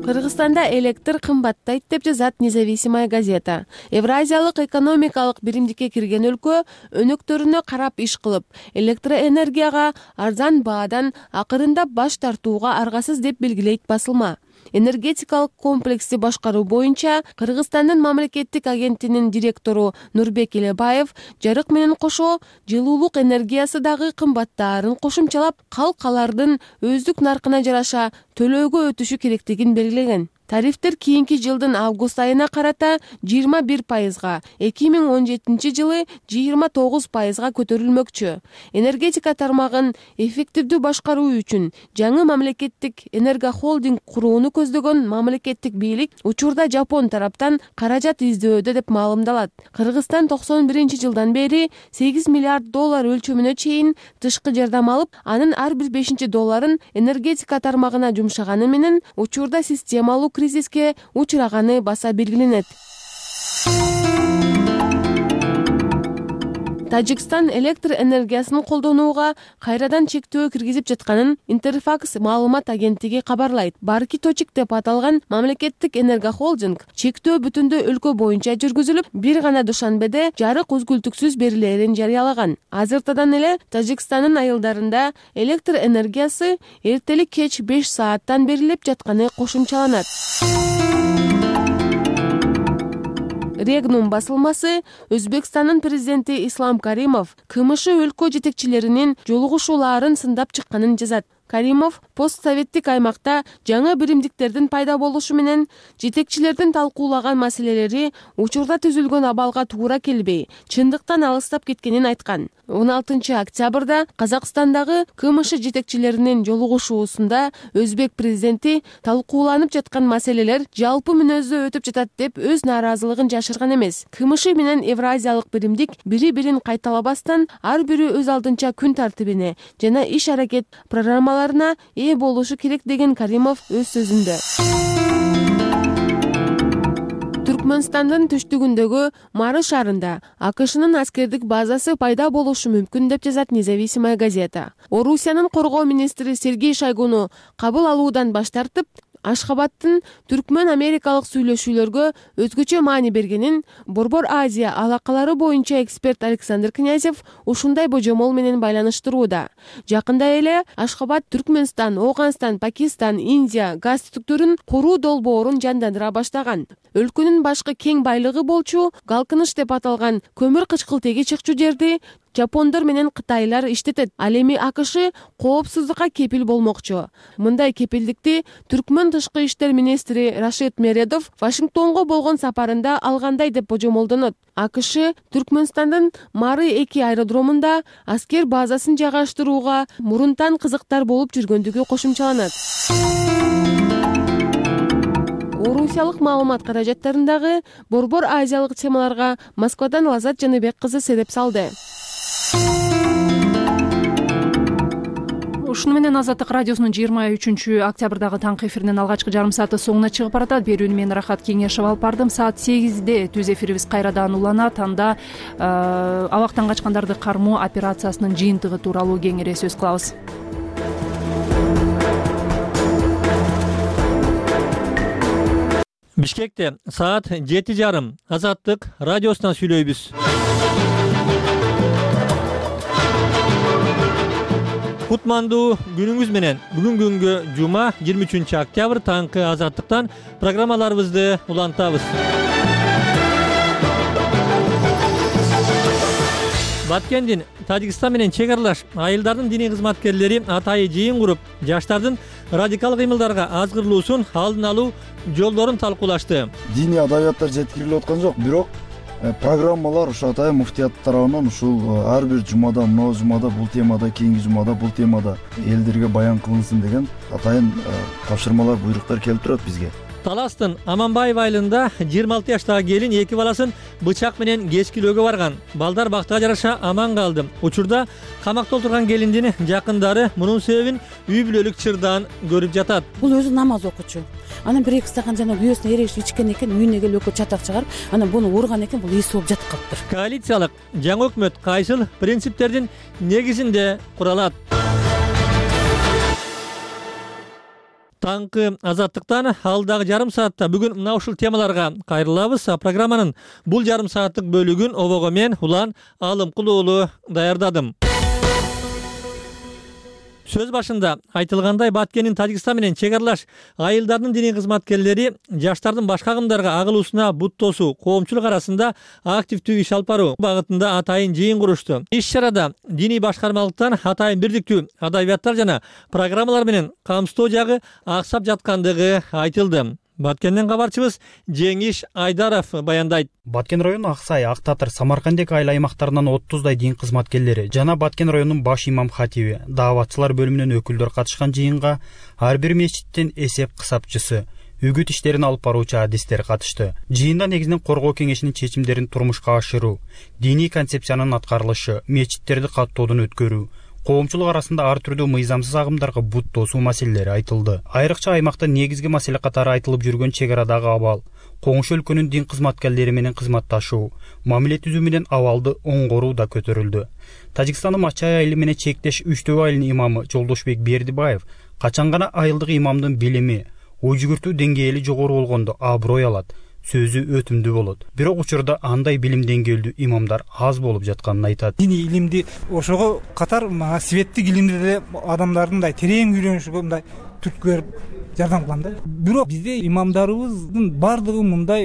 [SPEAKER 21] Кыргызстанда электр кымбаттайт деп жазат Независимая газета. Евразиялык экономикалык биримдикке кирген өлкө өнөктөрүнө карап иш кылып, электроэнергияга арзан баадан акырындап баш тартууга аргасыз деп белгилейт басылма. Энергетикалык комплексти башкаруу боюнча Кыргызстандын мамлекеттик агенттигинин директору Нурбек Элебаев жарык менен кошо жылуулук энергиясы дагы кымбаттаарын кошумчалап, калкалардын өздүк наркына жараша төлөөгө өтүшү керектигин белгилеген. Тарифтер кийинки жылдын август айына карата 21%, 2017 жылы 29%га көтөрүлмөкчү. Энергетика тармагын эффективдүү башкаруу үчүн жаңы мамлекеттик энергохолдинг курууну көздөгөн мамлекеттик бийлик учурда Жапон тараптан каражат издөөдө деп маалымдалат. Кыргызстан 91 жылдан бери $8 миллиард өлчөмүнө чейин тышкы жардам алып, анын ар бир 5 долларын энергетика тармагына жумшаганы менен учурда системалуу кризиске учураганы баса белгиленет. Тажикстан электр энергиясын колдонууга кайрадан чектөө киргизип жатканын Интерфакс маалымат агенттиги кабарлайт. Барки Точик деп аталган мамлекеттик энергохолдинг чектөө бүтүндөй өлкө боюнча жүргүзүлүп, бир гана Душанбеде жарык үзгүлтүксүз берилерин жарыялаган. Азыртадан эле Тажикстандын айылдарында электр энергиясы эртелик кеч 5 сааттан берилип жатканы кошумчаланат. Регнум басылмасы Өзбекстандын президенти Ислам Каримов КМШ өлкө жетекчилеринин жолугушууларын сындап чыкканын жазат. Каримов постсоветтик аймакта жаңы биримдиктердин пайда болушу менен жетекчилердин талкуулаган маселелери учурда түзүлгөн абалга туура келбей, чындыктан алыстап кеткенин айткан. 16 октябрда Казакстандагы КМШ жетекчилеринин жолугушуусунда Өзбек президенти талкууланып жаткан маселелер жалпы мүнөздө өтүп жатат деп өз нааразылыгын жашырган эмес. КМШ менен Евразиялык биримдик бири-бирин кайталабастан ар бири өз алдынча күн тартибине жана иш-аракет программаларына ээ болушу керек деген Каримов өз сөзүндө. Түркмөнстандын түштүгүндөгү Мары шаарында АКШнын аскердик базасы пайда болушу мүмкүн деп жазат Независимая газета. Орусиянын коргоо министри Сергей Шойгуну кабыл алуудан баш тартып, Ашхабадтын түркмөн америкалык сүйлөшүүлөргө өзгөчө маани бергенин Борбор Азия алакалары боюнча эксперт Александр Князев ушундай божомол менен байланыштырууда. Жакында эле Ашхабад Түркмөнстан, Ооганстан, Пакистан, Индия газ түтүктөрүн куруу долбоорун жандандыра баштаган. Өлкөнүн башкы кең байлыгы болчу Галкыныч деп аталган көмүр кычкылтеги чыкчу жерди жапондор менен кытайлар иштетет. Ал эми АКШ коопсуздукка кепил болмокчу. Мындай кепилдикти Түркмөн тышкы иштер министри Рашид Мередов Вашингтонго болгон сапарында алгандай деп божомолдонот. АКШ Түркмөнстандын Мары-2 аэродромунда аскер базасын жайгаштырууга мурунтан кызыктар болуп жүргөндүгү кошумчаланат. Орусиялык маалымат каражаттарындагы борбор азиялык темаларга Москвадан Лазат Жаныбек кызы себеп салды.
[SPEAKER 1] Ушуну менен Азаттык радиосунун 23 октябрдагы таңкы эфиринин алгачкы жарым сааты соңуна чыгып баратат. Берүүнү мен Рахат Кеңешев алып бардым. Саат 8-де түз эфирибиз кайрадан уланат. Анда абактан качкандарды кармоо операциясынын жыйынтыгы тууралуу кеңири сөз кылабыз.
[SPEAKER 5] Бишкекте саат 7:30 Азаттык радиосунан сүйлөйбүз. Кутмандуу күнүңүз менен. Бүгүн күнгө жума 23 октябрь таңкы Азаттыктан программаларыбызды улантабыз. Баткендин Тажикстан менен чек аралаш айылдардын диний кызматкерлери атайын жыйын куруп, жаштардын радикал кыймылдарга азгырлуусун алдын алуу жолдорун талкуулашты.
[SPEAKER 22] Диний адабияттар жеткирилип аткан жок, бирок программалар ушу атайын муфтият тарабынан ушул ар бир жумада, мына жумада бул темада, кийинки жумада бул темада элдерге баян кылынсын деген атайын тапшырмалар, буйруктар келип турат бизге.
[SPEAKER 5] Таластын Аманбаев айылында 26 жаштагы келин 2 баласын бычак менен кечкилөөгө барган. Балдар бактыга жараша аман калды. Учурда камакта отурган келиндин жакындары мунун себебин үй бүлөлүк чырдан көрүп жатат.
[SPEAKER 23] Бул өзү намаз окучу. Анан 1-2 стакан жана күйөөсүнө эрегип ичкен экен, үйүнө келип экөө чатак чыгарып, анан буну урган экен, бул эси болуп жатып калыптыр.
[SPEAKER 5] Коалициялык жаңы өкмөт кайсыл принциптердин негизинде куралат? Таңкы Азаттыктан алдагы жарым саатта бүгүн мына ушул темаларга кайрылабыз. Программанын бул жарым сааттык бөлүгүн обого мен Улан Алымкул уулу даярдадым. Сөз башында айтылгандай, Баткендин Тажикстан менен чек аралаш айылдардын диний кызматкерлери жаштардын башка кымдарга агылуусуна бут тосуу, коомчулук арасында активдүү иш алып баруу багытында атайын жыйын курушту. Иш чарада диний башкармалыктан атайын бирдиктүү адабияттар жана программалар менен камсыздоо жагы аксап жаткандыгы айтылды. Баткенден кабарчыбыз Жеңиш Айдаров баяндайт.
[SPEAKER 24] Баткен району Аксай, Ак Татыр, Самаркандек айыл аймактарынан 30дай дин кызматкерлери жана Баткен районунун баш имам хатиби, дааватчылар бөлүмүнөн өкүлдөр катышкан жыйынга ар бир мечиттин эсеп кысапчысы, үгүт иштерин алып баруучу адистер катышты. Жыйында негизинен коргоо кеңешинин чечимдерин турмушка ашыруу, диний концепциянын аткарылышы, мечиттерди каттоодон өткөрүү, коомчулук арасында ар түрдүү мыйзамсыз агымдарга бут тосуу маселелери айтылды. Айрыкча аймакта негизги маселе катары айтылып жүргөн чек арадагы абал, коңшу өлкөнүн дин кызматкерлери менен кызматташуу, мамиле түзүү менен абалды оңгоруу да көтөрүлдү. Тажикстандын Мачай айылы менен чектеш Үчтөө айылынын имамы Жолдошбек Бердибаев качан гана айылдык имамдын билими, ой жүгүртүү деңгээли жогору болгондо аброй алат, сөзү өтүмдүү болот. Бирок учурда андай билим деңгээлдүү имамдар аз болуп жатканын айтат.
[SPEAKER 25] Диний илимди ошого катар светтик илимди деле адамдардын мындай терең үйрөнүшүгө мындай түрткү берип жардам кылам да. Бирок бизде имамдарыбыздын бардыгы мындай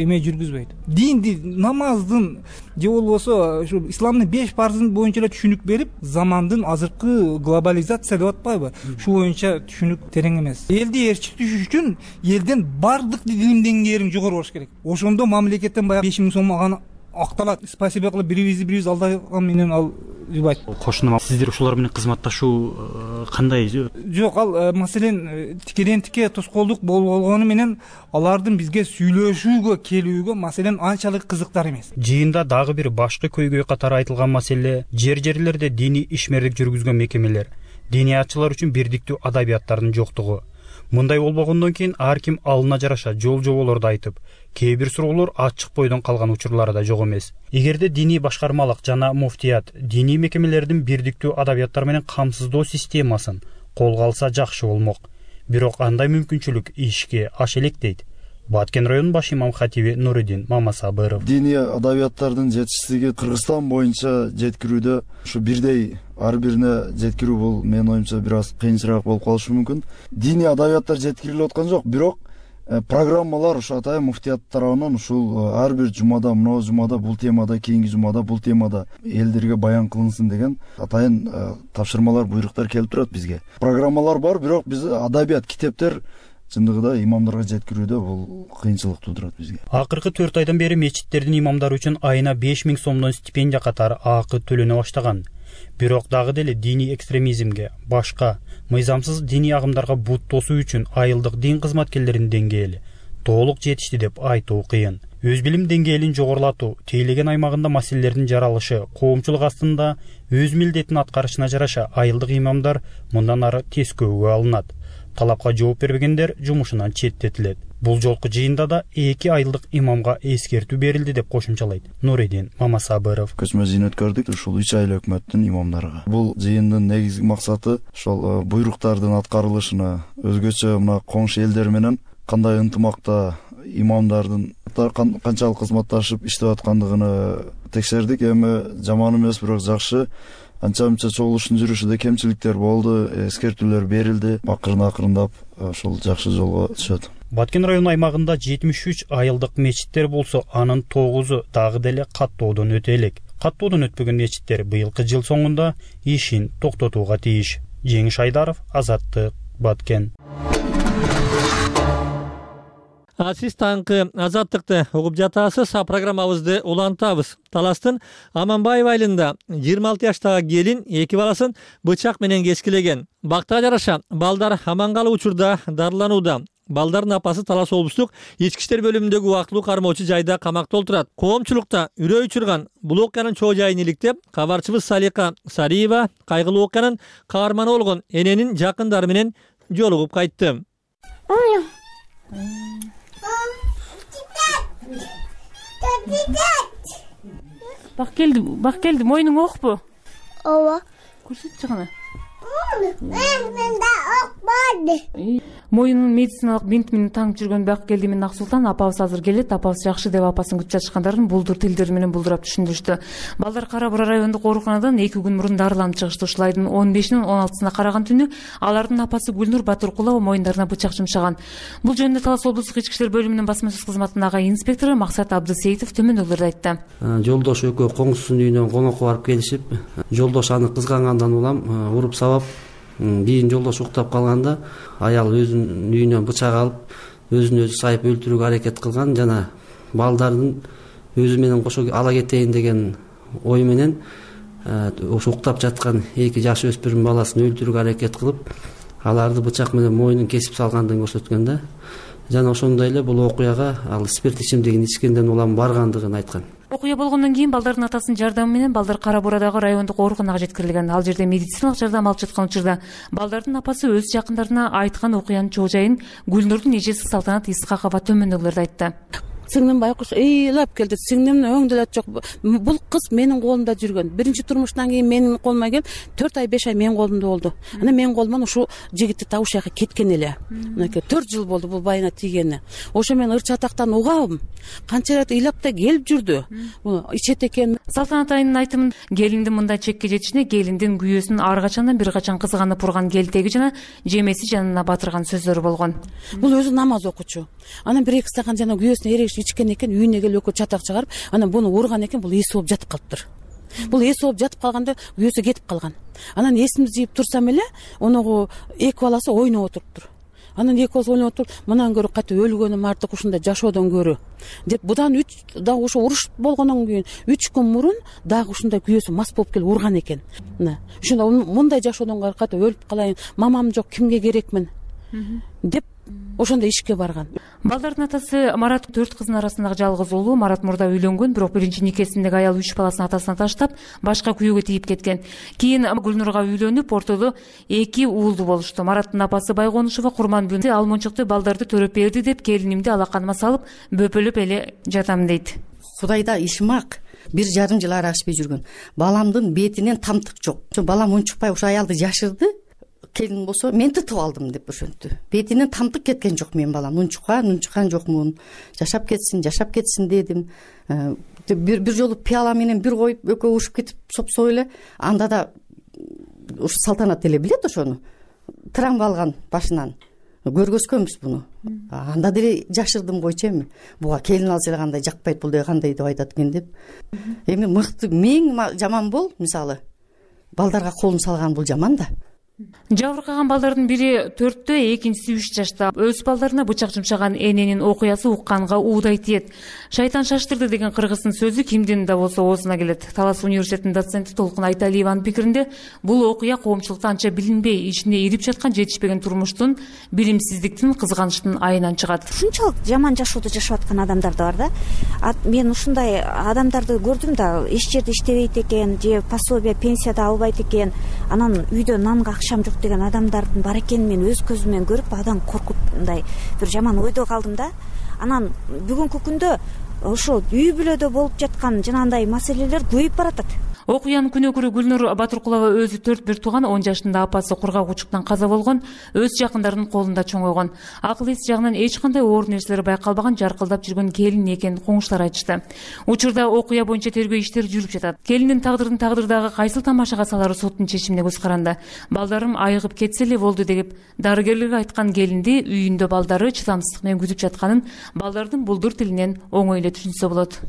[SPEAKER 25] эме жүргүзбөйт. Динди, намаздын же болбосо ушу исламдын 5 парзын боюнча эле түшүнүк берип, замандын азыркы глобализация деп атпайбы? Шу боюнча түшүнүк терең эмес. Элди ээрчитиш үчүн элден бардык илим деңгээлин жогору болуш керек. Ошондо мамлекеттен баягы 5 000 сом алган акталат. Спасибо кылып бирибиз алдаган менен ал жубайт.
[SPEAKER 24] Кошуна сиздер ушулар менен кызматташуу кандай?
[SPEAKER 25] Жок, ал маселен тикеден тике тоскоолдук болгону менен алардын бизге сүйлөшүүгө келүүгө маселен анчалык кызыктар эмес.
[SPEAKER 24] Жыйында дагы бир башкы көйгөй катары айтылган маселе жерлерде диний ишмерлик жүргүзгөн мекемелер, диниятчылар үчүн бирдиктүү адабияттардын жоктугу. Мындай болбогондон кийин ар ким алына жараша жол-жоболорду айтып, кээ бир суроолор ачык бойдон калган учурлары да жок эмес. Эгерде диний башкармалык жана муфтият диний мекемелердин бирдиктүү адабияттар менен камсыздоо системасын колго алса жакшы болмок. бирок андай мүмкүнчүлүк ишке аша элек дейт Баткен районунун баш имам хатиби Нуридин Мамасабыров.
[SPEAKER 22] Диний адабияттардын жетишсиздиги Кыргызстан боюнча жеткирүүдө ушу бирдей ар бирине жеткирүү бул менин оюмча бир аз кыйынчыраак болуп калышы мүмкүн. Диний адабияттар жеткирилип аткан жок, бирок программалар ушу Атайын муфтият тарабынан ушул ар бир жумада, мына жумада бул темада, кийинки жумада бул темада элдерге баян кылынсын деген атайын тапшырмалар, буйруктар келип турат бизге. Программалар бар, бирок биз адабият, китептер чындыгында имамдарга жеткирүүдө бул кыйынчылык туудурат бизге.
[SPEAKER 24] Акыркы 4 айдан бери мечиттердин имамдары үчүн айына 5000 сомдон стипендия катары акы төлөнө баштаган. Бирок дагы деле диний экстремизмге, башка мыйзамсыз диний агымдарга бут тосуу үчүн айылдык дин кызматкерлеринин деңгээли толук жетишти деп айтуу кыйын. Өз билим деңгээлин жогорулатуу, тейлеген аймагында маселелердин жаралышы, коомчулук астында өз милдетин аткарышына жараша айылдык имамдар мындан ары тескөөгө алынат. Талапка жооп бербегендер жумушунан четтетилет. Бул жолку жыйында да 2 айылдык имамга эскертүү берилди деп кошумчалайт Нуридин Мамасабыров.
[SPEAKER 22] Көчмө жыйын өткөрдүк ушул 3 айлык өкмөттүн имамдарына. Бул жыйындын негизги максаты ошол буйруктардын аткарылышына, өзгөчө мына коңшу элдер менен кандай ынтымакта имамдардын канчалык кызматташып иштеп аткандыгын текшердик. Эми жаман эмес, бирок жакшы. Анча-мынча чогулуштун жүрүшүдө кемчиликтер болду, эскертүүлөр берилди. Акырындап ошол жакшы жолго түшөт.
[SPEAKER 24] Баткен району аймагында 73 айылдык мечиттер болсо, анын 9-у дагы деле каттоодон өтө элек. Каттоодон өтпөгөн мечиттер быйылкы жыл соңунда ишин токтотууга тийиш. Жеңиш Айдаров, Азаттык, Баткен.
[SPEAKER 5] Сиз таңкы Азаттыкты угуп жатасыз. Программабызды улантабыз. Таластын Аманбаев айылында 26 жаштагы келин 2 баласын бычак менен кескилеген. Бактага жараша балдар аман калуу учурда дарыланууда. Балдардын апасы Талас облустук ички иштер бөлүмүндөгү убактылуу кармоочу жайда камакта отурат. Коомчулукта үрөө учурган бул окуянын чоо жайын иликтеп, кабарчыбыз Салика Сариева кайгылуу окуянын каарманы болгон эненин жакындары менен жолугуп кайтты.
[SPEAKER 1] Бак келди, мойнуң окпу?
[SPEAKER 2] Ооба.
[SPEAKER 1] Көрсөтчү кана.
[SPEAKER 2] Менде ок бар.
[SPEAKER 1] Моюнун медициналык бинт менен таңып жүргөн Бак келди менен Аксултан апабыз азыр келет, апабыз жакшы деп апасын күтүп жатышкандарын булдур тилдери менен булдурап түшүндүрүштү. Балдар Кара Бура райондук ооруканадан 2 күн мурун дарыланып чыгышты. Ушул айдын 15-нин 16-сына караган түнү алардын апасы Гүлнур Батыркулова моюндарына бычак жумшаган. Бул жөнүндө Талас облустук ички иштер бөлүмүнүн басма сөз кызматындагы инспектору Максат Абдысеитов төмөндөгүлөрдү айтты.
[SPEAKER 4] Жолдош экөө коңсусунун үйүнөн конокко барып келишип, жолдош аны кызгангандан улам уруп сабап, кийин жолдош уктап калганда аял өзүнүн үйүнөн бычак алып, өзүн өзү сайып өлтүрүүгө аракет кылган жана балдардын өзү менен кошо ала кетейин деген ой менен ошо уктап жаткан 2 жаш өспүрүм баласын өлтүрүүгө аракет кылып, аларды бычак менен мойнун кесип салгандыгын көрсөткөн да. Жана ошондой эле бул окуяга ал спирт ичимдигин ичкенден улам баргандыгын айткан.
[SPEAKER 1] Окуя болгондон кийин балдардын атасынын жардамы менен балдар Кара Бурадагы райондук ооруканага жеткирилген. Ал жерде медициналык жардам алып жаткан учурда балдардын апасы өз жакындарына айткан окуянын чоо жайын Гүлнурдун эжеси Салтанат Исхакова төмөндөгүлөрдү айтты.
[SPEAKER 23] Сиңдим байкуш ыйлап келди. Сиңдим өңдөлөт жок. Бул кыз менин колумда жүргөн. Биринчи турмуштан кийин менин колума келип 4 ай 5 ай менин колумда болду. Ана менин колуман ушул жигитти табыш жака кеткен эле. Мынакей 4 жыл болду бул байына тийгени. Ошо мен ыр чатактан угабым. Канча рет ыйлап да келип жүрдү. Ичет экен.
[SPEAKER 1] Салтанат айынын айтымын, келиндин мындай чекке жетишине келиндин күйөөсүн ар качандан бир качан кызганып урган келтеги жана жемеси жанына батырган сөздөр болгон.
[SPEAKER 23] Бул өзү намаз окучу. Анан 1-2 стакан жана күйөөсүнө эрегиш ичкен экен, үйүнө келип экөө чатак чыгарып, анан буну урган экен, бул эс болуп жатып калыптыр. Бул эс болуп жатып калганда күйөөсү кетип калган. Анан эсимди жыйып турсам эле, оногу 2 баласы ойноп отуруптур. Анан 2 баласы ойноп отуруп, мындан көрө кайта өлгөнүм артык ушундай жашоодон көрө деп, будан 3 дагы ошо уруш болгондон кийин 3 күн мурун дагы ушундай күйөөсү мас болуп келип урган экен. Мына ошондо мындай жашоодон кайта өлүп калайын, мамам жок, кимге керекмин деп ошондой ишке барган.
[SPEAKER 1] Балдардын атасы Марат 4 кыздын арасындагы жалгыз уулу. Марат мурда үйлөнгөн, бирок биринчи никесиндеги аял 3 баласын атасына таштап, башка күйөөгө тийип кеткен. Кийин Гүлнурга үйлөнүп, ортодо 2 уулду болушту. Мараттын апасы Байгонушова Курманбүндө алмончукты балдарды төрөп берди деп, келинимди алаканыма салып, бөпөлөп эле жатам дейт.
[SPEAKER 7] Кудайда ишим ак. 1,5 жыл аралашпай жүргөн. Баламдын бетинен тамтык жок. Ошо балам унчукпай ошо аялды жашырды. келин болсо мен тытып алдым деп ошентти. Бетинен тамтык кеткен жок менин балам. Нунчуккан жокмун. Жашап кетсин дедим. Бир жолу пиала менен бир коюп экөө ушуп кетип сопсо эле. Анда да ушу Салтанат эле билет ошону. Травма алган башынан. Көргөзгөнбүз буну. Анда деле жашырдым койчу эми. Буга келин алса эле кандай жакпайт бул, кандай деп айтат экен деп. Эми мыкты мең жаман бол, мисалы балдарга колун салган бул жаман да.
[SPEAKER 1] Жабыркаган балдардын бири 4-тө, экинчиси 3 жашта. Өз балдарына бычак жумшаган эненин окуясы укканга уудай тиет. Шайтан шаштырды деген кыргыздын сөзү кимдин да болсо оозуна келет. Талас университетинин доценти Толкун Айталиеванын пикиринде, бул окуя коомчулукта анча билинбей, ичинде ирип жаткан жетишпеген турмуштун, билимсиздиктин, кызганычтын айынан чыгат.
[SPEAKER 3] Ушунчалык жаман жашоодо жашап аткан адамдар да бар да. Мен ушундай адамдарды көрдүм да, эч жерде иштебейт экен, же пособие, пенсия да албайт экен, анан үйдө нанга акчам жок деген адамдардын бар экенин мен өз көзүм менен көрүп, адам коркуп мындай бир жаман ойдо калдым да. Анан бүгүнкү күндө ошо үй бүлөдө болуп жаткан жанагындай маселелер көбөйүп баратат.
[SPEAKER 1] Окуянын күнөөкөрү Гүлнур Батыркулова өзү 4 тууган, 10 жашында апасы кургак учуктан каза болгон, өз жакындарынын колунда чоңойгон. Акыл эс жагынан эч кандай оор нерселер байкалбаган, жаркылдап жүргөн келин экенин коңуштар айтышты. Учурда окуя боюнча тергөө иштери жүрүп жатат. Келиндин тагдырын тагдырдагы кайсыл тамашага салары соттун чечимине көз каранды. Балдарым айыгып кетсе эле болду деп дарыгерлерге айткан келинди үйүндө балдары чыдамсыздык менен күтүп жатканын балдардын булдур тилинен оңой эле түшүнсө болот.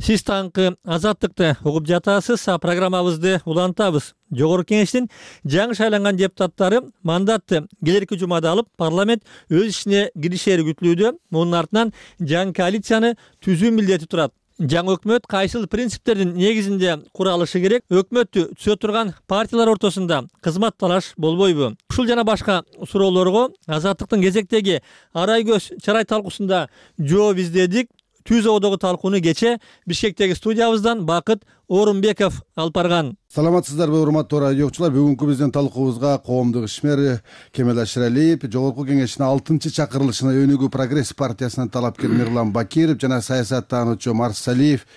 [SPEAKER 5] Сиз таңкы Азаттыкты угуп жатасыз. Программабызды улантабыз. Жогорку кеңештин жаңы шайланган депутаттары мандатты келерки жумада алып, парламент өз ишине киришери күтүлүүдө. Мунун артынан жаңы коалицияны түзүү милдети турат. Жаңы өкмөт кайсыл принциптердин негизинде куралышы керек? Өкмөттү түзө турган партиялар ортосунда кызмат талаш болбойбу? Ушул жана башка суроолорго Азаттыктын кезектеги арай көз чарай талкуусунда жооп издедик. Түз одогу талкууну кече Бишкектеги студиябыздан Бакыт Орунбеков алып барган.
[SPEAKER 6] Саламатсыздарбы, урматтуу радио окуучулар. Бүгүнкү биздин талкуубузга коомдук ишмер Кемел Аширалиев, Жогорку кеңештин 6-чакырылышына Өнүгүү прогресс партиясынын талапкер Мирлан Бакиров жана саясаттануучу Марс Салиев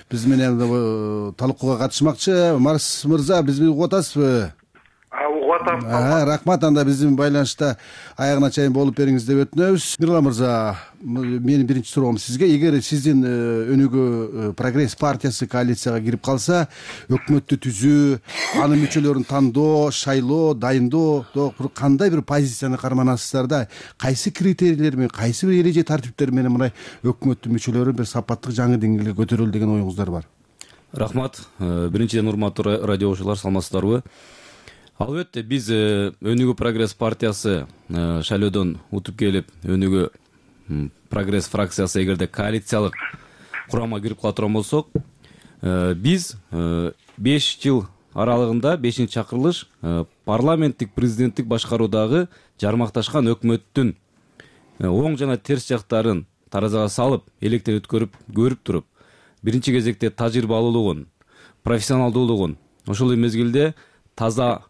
[SPEAKER 6] биз менен талкууга катышмакчы. Марс мырза, бизди угуп атасызбы? Рахмат. Анда биздин байланышта аягына чейин болуп бериңиз деп өтүнөбүз. Мирлан мырза, менин биринчи суроом сизге: эгер сиздин Өнүгүү прогресс партиясы коалицияга кирип калса, өкмөттү түзүү, анын мүчөлөрүн тандоо, шайлоо, дайындоо кандай бир позицияны карманасыздар да? Кайсы критерийлер менен, кайсы бир эреже тартиптер менен мындай өкмөттүн мүчөлөрү бир сапаттык жаңы деңгээлге көтөрүлдү деген оюңуздар бар?
[SPEAKER 8] Рахмат. Биринчиден урматтуу радио окуучулар, саламатсыздарбы? Албетте, биз Өнүгүү прогресс партиясы шайлоодон утуп келип, Өнүгүү прогресс фракциясы эгерде коалициялык курамга кирип кала турган болсок, биз 5 жыл аралыгында 5-чакырылыш парламенттик президенттик башкаруудагы жармакташкан өкмөттүн оң жана терс жактарын таразага салып, электер көрүп туруп, биринчи кезекте тажрыйбалуулугун, профессионалдуулугун, ошол мезгилде таза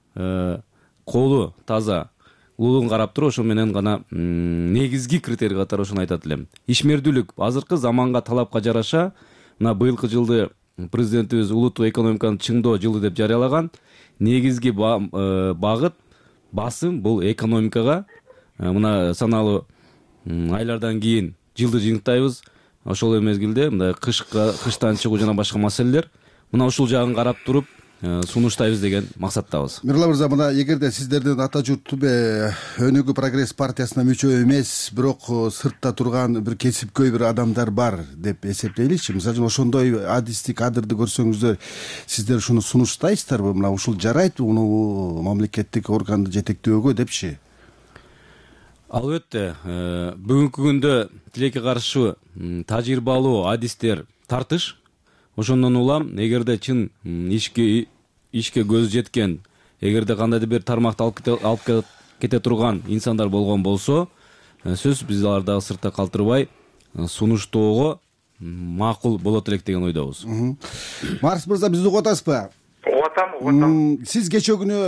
[SPEAKER 8] колу таза улуулугун карап туруп, ошо менен гана негизги критерий катары ошону айтат элем. Ишмердүүлүк азыркы заманга талапка жараша, мына быйылкы жылды президентибиз улуттук экономиканы чыңдоо жылы деп жарыялаган. Негизги багыт, басым бул экономикага. Мына саналуу айлардан кийин жылды жыйынтайбыз. Ошол мезгилде мындай кыштан чыгуу жана башка маселелер. Мына ушул жагын карап туруп сунуштайбыз деген максаттабыз.
[SPEAKER 6] Мирлан мырза, мына эгерде сиздердин ата журт Өнүгүү прогресс партиясына мүчө эмес, бирок сыртта турган бир кесипкөй бир адамдар бар деп эсептейличи. Мисалы ошондой адисти, кадрды көрсөңүздөр, сиздер ушуну сунуштайсыздарбы? Мына ушул жарайт муну мамлекеттик органды жетектөөгө депчи?
[SPEAKER 8] Албетте, бүгүнкү күндө тилекке каршы тажрыйбалуу адистер тартыш. Ошондон улам, эгерде чын ишке көз жеткен, эгерде кандайдыр бир тармакты алып кете турган инсандар болгон болсо, сөз биз аларды сыртта калтырбай сунуштоого макул болот элек деген ойдобуз.
[SPEAKER 6] Марс мырза, бизди угуп атасызбы?
[SPEAKER 9] Угуп атам, угуп атам.
[SPEAKER 6] Сиз кечээ күнү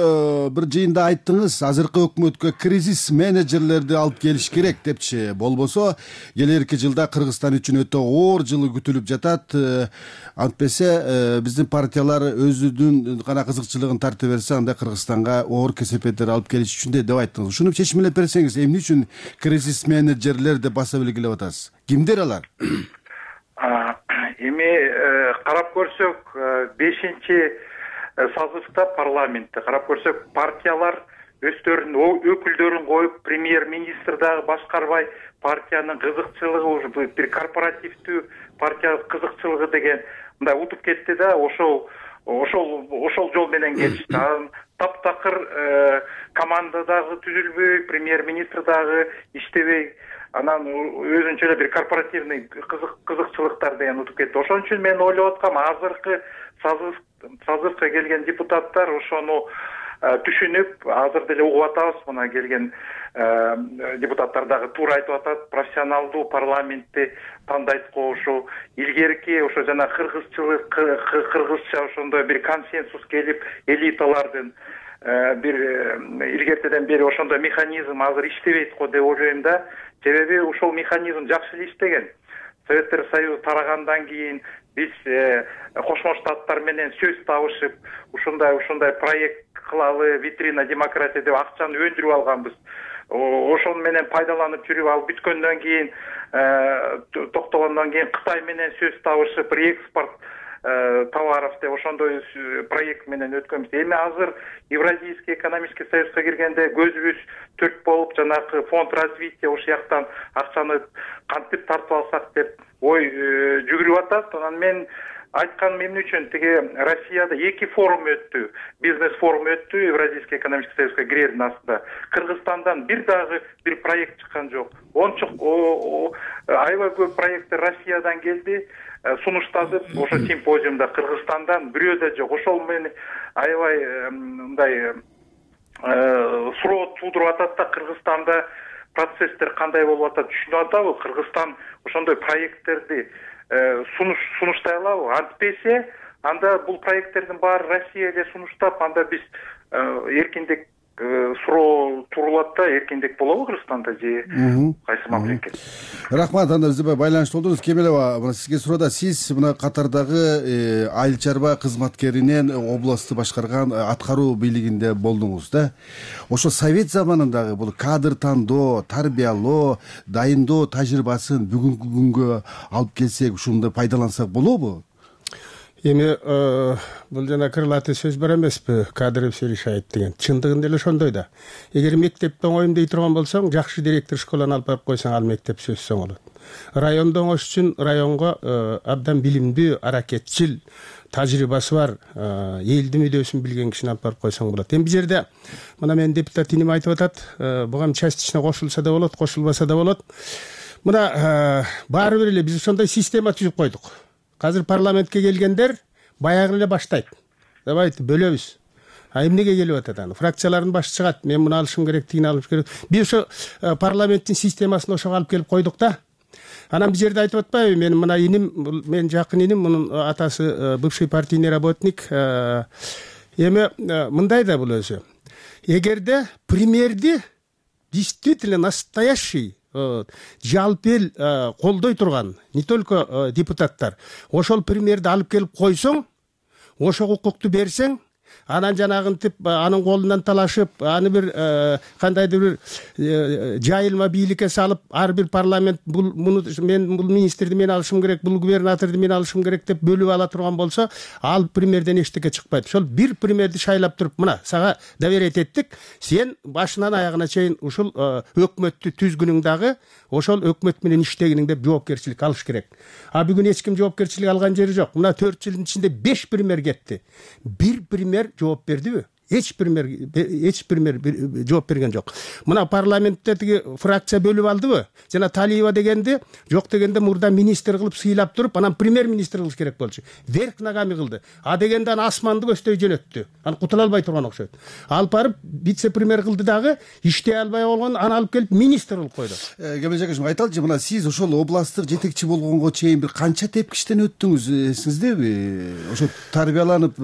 [SPEAKER 6] бир жыйында айттыңыз, азыркы өкмөткө кризис менеджерлерди алып келиш керек депчи. Болбосо келерки жылда Кыргызстан үчүн өтө оор жылы күтүлүп жатат. Антпесе биздин партиялар өзүнүн гана кызыкчылыгын тарта берсе, анда Кыргызстанга оор кесепеттер алып келиш үчүн деп айттыңыз. Ушуну чечимелеп берсеңиз, эмне үчүн кризис менеджерлер деп баса белгилеп атасыз? Кимдер алар?
[SPEAKER 9] Эми карап көрсөк, 5-чи созывда парламентте карап көрсөк, партиялар өздөрүнүн өкүлдөрүн коюп, премьер-министр дагы башкарбай, партиянын кызыкчылыгы уже бир корпоративдүү партия кызыкчылыгы деген мындай утуп кетти да, ошол жол менен кетишти. Таптакыр команда дагы түзүлбөй, премьер-министр дагы иштебей, анан өзүнчө эле бир корпоративный кызыкчылыктар деген утуп кетти. Ошон үчүн мен ойлоп аткам, азыркы созывга келген депутаттар ошону түшүнүп, азыр деле угуп атабыз, мына келген депутаттар дагы туура айтып атат, профессионалдуу парламентти тандайт ошо илгерки ошо жана кыргызча ошондой бир консенсус келип, элиталардын бир илгертеден бери ошондой механизм азыр иштебейт го деп ойлойм да. Себеби ушул механизм жакшы эле иштеген. Советтер Союзу тарагандан кийин биз Кошмо Штаттар менен сөз табышып, ушундай проект кылалы, витрина демократия деп акчаны өндүрүп алганбыз. Ошон менен пайдаланып жүрүп, ал бүткөндөн кийин, токтогондон кийин Кытай менен сөз табышып, реэкспорт товаров деп ошондой проект менен өткөнбүз. Эми азыр Евразийский экономический союзга киргенде көзүбүз төрт болуп, жанагы фонд развития ошол жактан акчаны кантип тартып алсак деп ой жүгүрүп атат. Анан мен айтканым эмне үчүн, тиги Россияда 2 форум өттү, бизнес форум өттү, Евразийский экономический союзга кирердин астында. Кыргызстандан бир проект чыккан жок. Аябай көп проекттер Россиядан келди, сунуштадып, ошо симпозиумда Кыргызстандан бирөө да жок. Ошол менен аябай мындай суроо туудуруп атат да, Кыргызстанда процесстер кандай болуп атат түшүнүп атабы? Кыргызстан ошондой проекттерди сунуштай алабы? Антпесе, анда бул проекттердин баары Россия эле сунуштап, анда биз эркиндик суроо турулат да, эркиндик болобу Кыргызстанда же кайсы мамлекет?
[SPEAKER 6] Рахмат, анда бизде байланышта болдуңуз. Кемелова, мына сизге суроодо, сиз мына Катардагы айыл чарба кызматкеринен областты башкарган аткаруу бийлигинде болдуңуз да. Ошо совет заманындагы бул кадр тандоо, тарбиялоо, дайындоо тажрыйбасын бүгүнкү күнгө алып келсек, ушунда пайдалансак болобу?
[SPEAKER 10] Эми бул жана крылатый сөз бар эмеспи, кадры все решает деген. Чындыгында эле ошондой да. Эгер мектепте оңойм дей турган болсоң, жакшы директор школаны алып барып койсоң, ал мектеп сөзсүз оңолот. Райондо оңош үчүн районго абдан билимдүү, аракетчил, тажрыйбасы бар, элдин мүдөөсүн билген кишини алып барып койсоң болот. Эми бул жерде мына менин депутат иним айтып атат, буга частично кошулса да болот, кошулбаса да болот. Мына баары бир эле биз ошондой система түзүп койдук. Азыр парламентке келгендер баягы эле баштайт. Давайте бөлөбүз. Эмнеге келип атат аны? Фракциялардын башы чыгат. Мен муну алышым керек, тигини алышым керек. Биз ошо парламенттин системасын ошого алып келип койдук да. Анан бул жерде айтып атпайбы, мен мына иним, мен жакын иним, мунун атасы бывший партийный работник. Эми мындай да бул өзү. Эгерде премьерди действительно настоящий жалпы эл колдой турган, не только депутаттар, ошол премьерди алып келип койсоң, ошого укукту берсең, анан жанагынтип анын колунан талашып, аны бир кандайдыр бир жайылма бийликке салып, ар бир парламент бул министрди мен алышым керек, бул губернаторду мен алышым керек деп бөлүп ала турган болсо, ал премьерден эчтеке чыкпайт. Ошол бир премьерди шайлап туруп, мына сага доверять эттик, сен башынан аягына чейин ушул өкмөттү түзгүнүң дагы ошол өкмөт менен иштегиниң деп жоопкерчилик алыш керек. А бүгүн эч ким жоопкерчилик алган жери жок. Мына 4 жылдын ичинде 5 премьер кетти. Бир премьер жооп бердиби? Эч премьер жооп берген жок. Мына парламентте тиги фракция бөлүп алдыбы? Жана Талиева дегенди жок дегенде мурда министр кылып сыйлап туруп, анан премьер-министр кылыш керек болчу. Верх ногами кылды. А дегенде аны асманды көздөй жөнөттү. Аны кутула албай турган окшойт. Алып барып вице-премьер кылды дагы, иштей албай болгон, аны алып келип министр кылып койду.
[SPEAKER 6] Кемел Жакишев, айталычы, мына сиз ошол областтык жетекчи болгонго чейин бир канча тепкичтен өттүңүз, эсиңиздеби? Ошо тарбияланып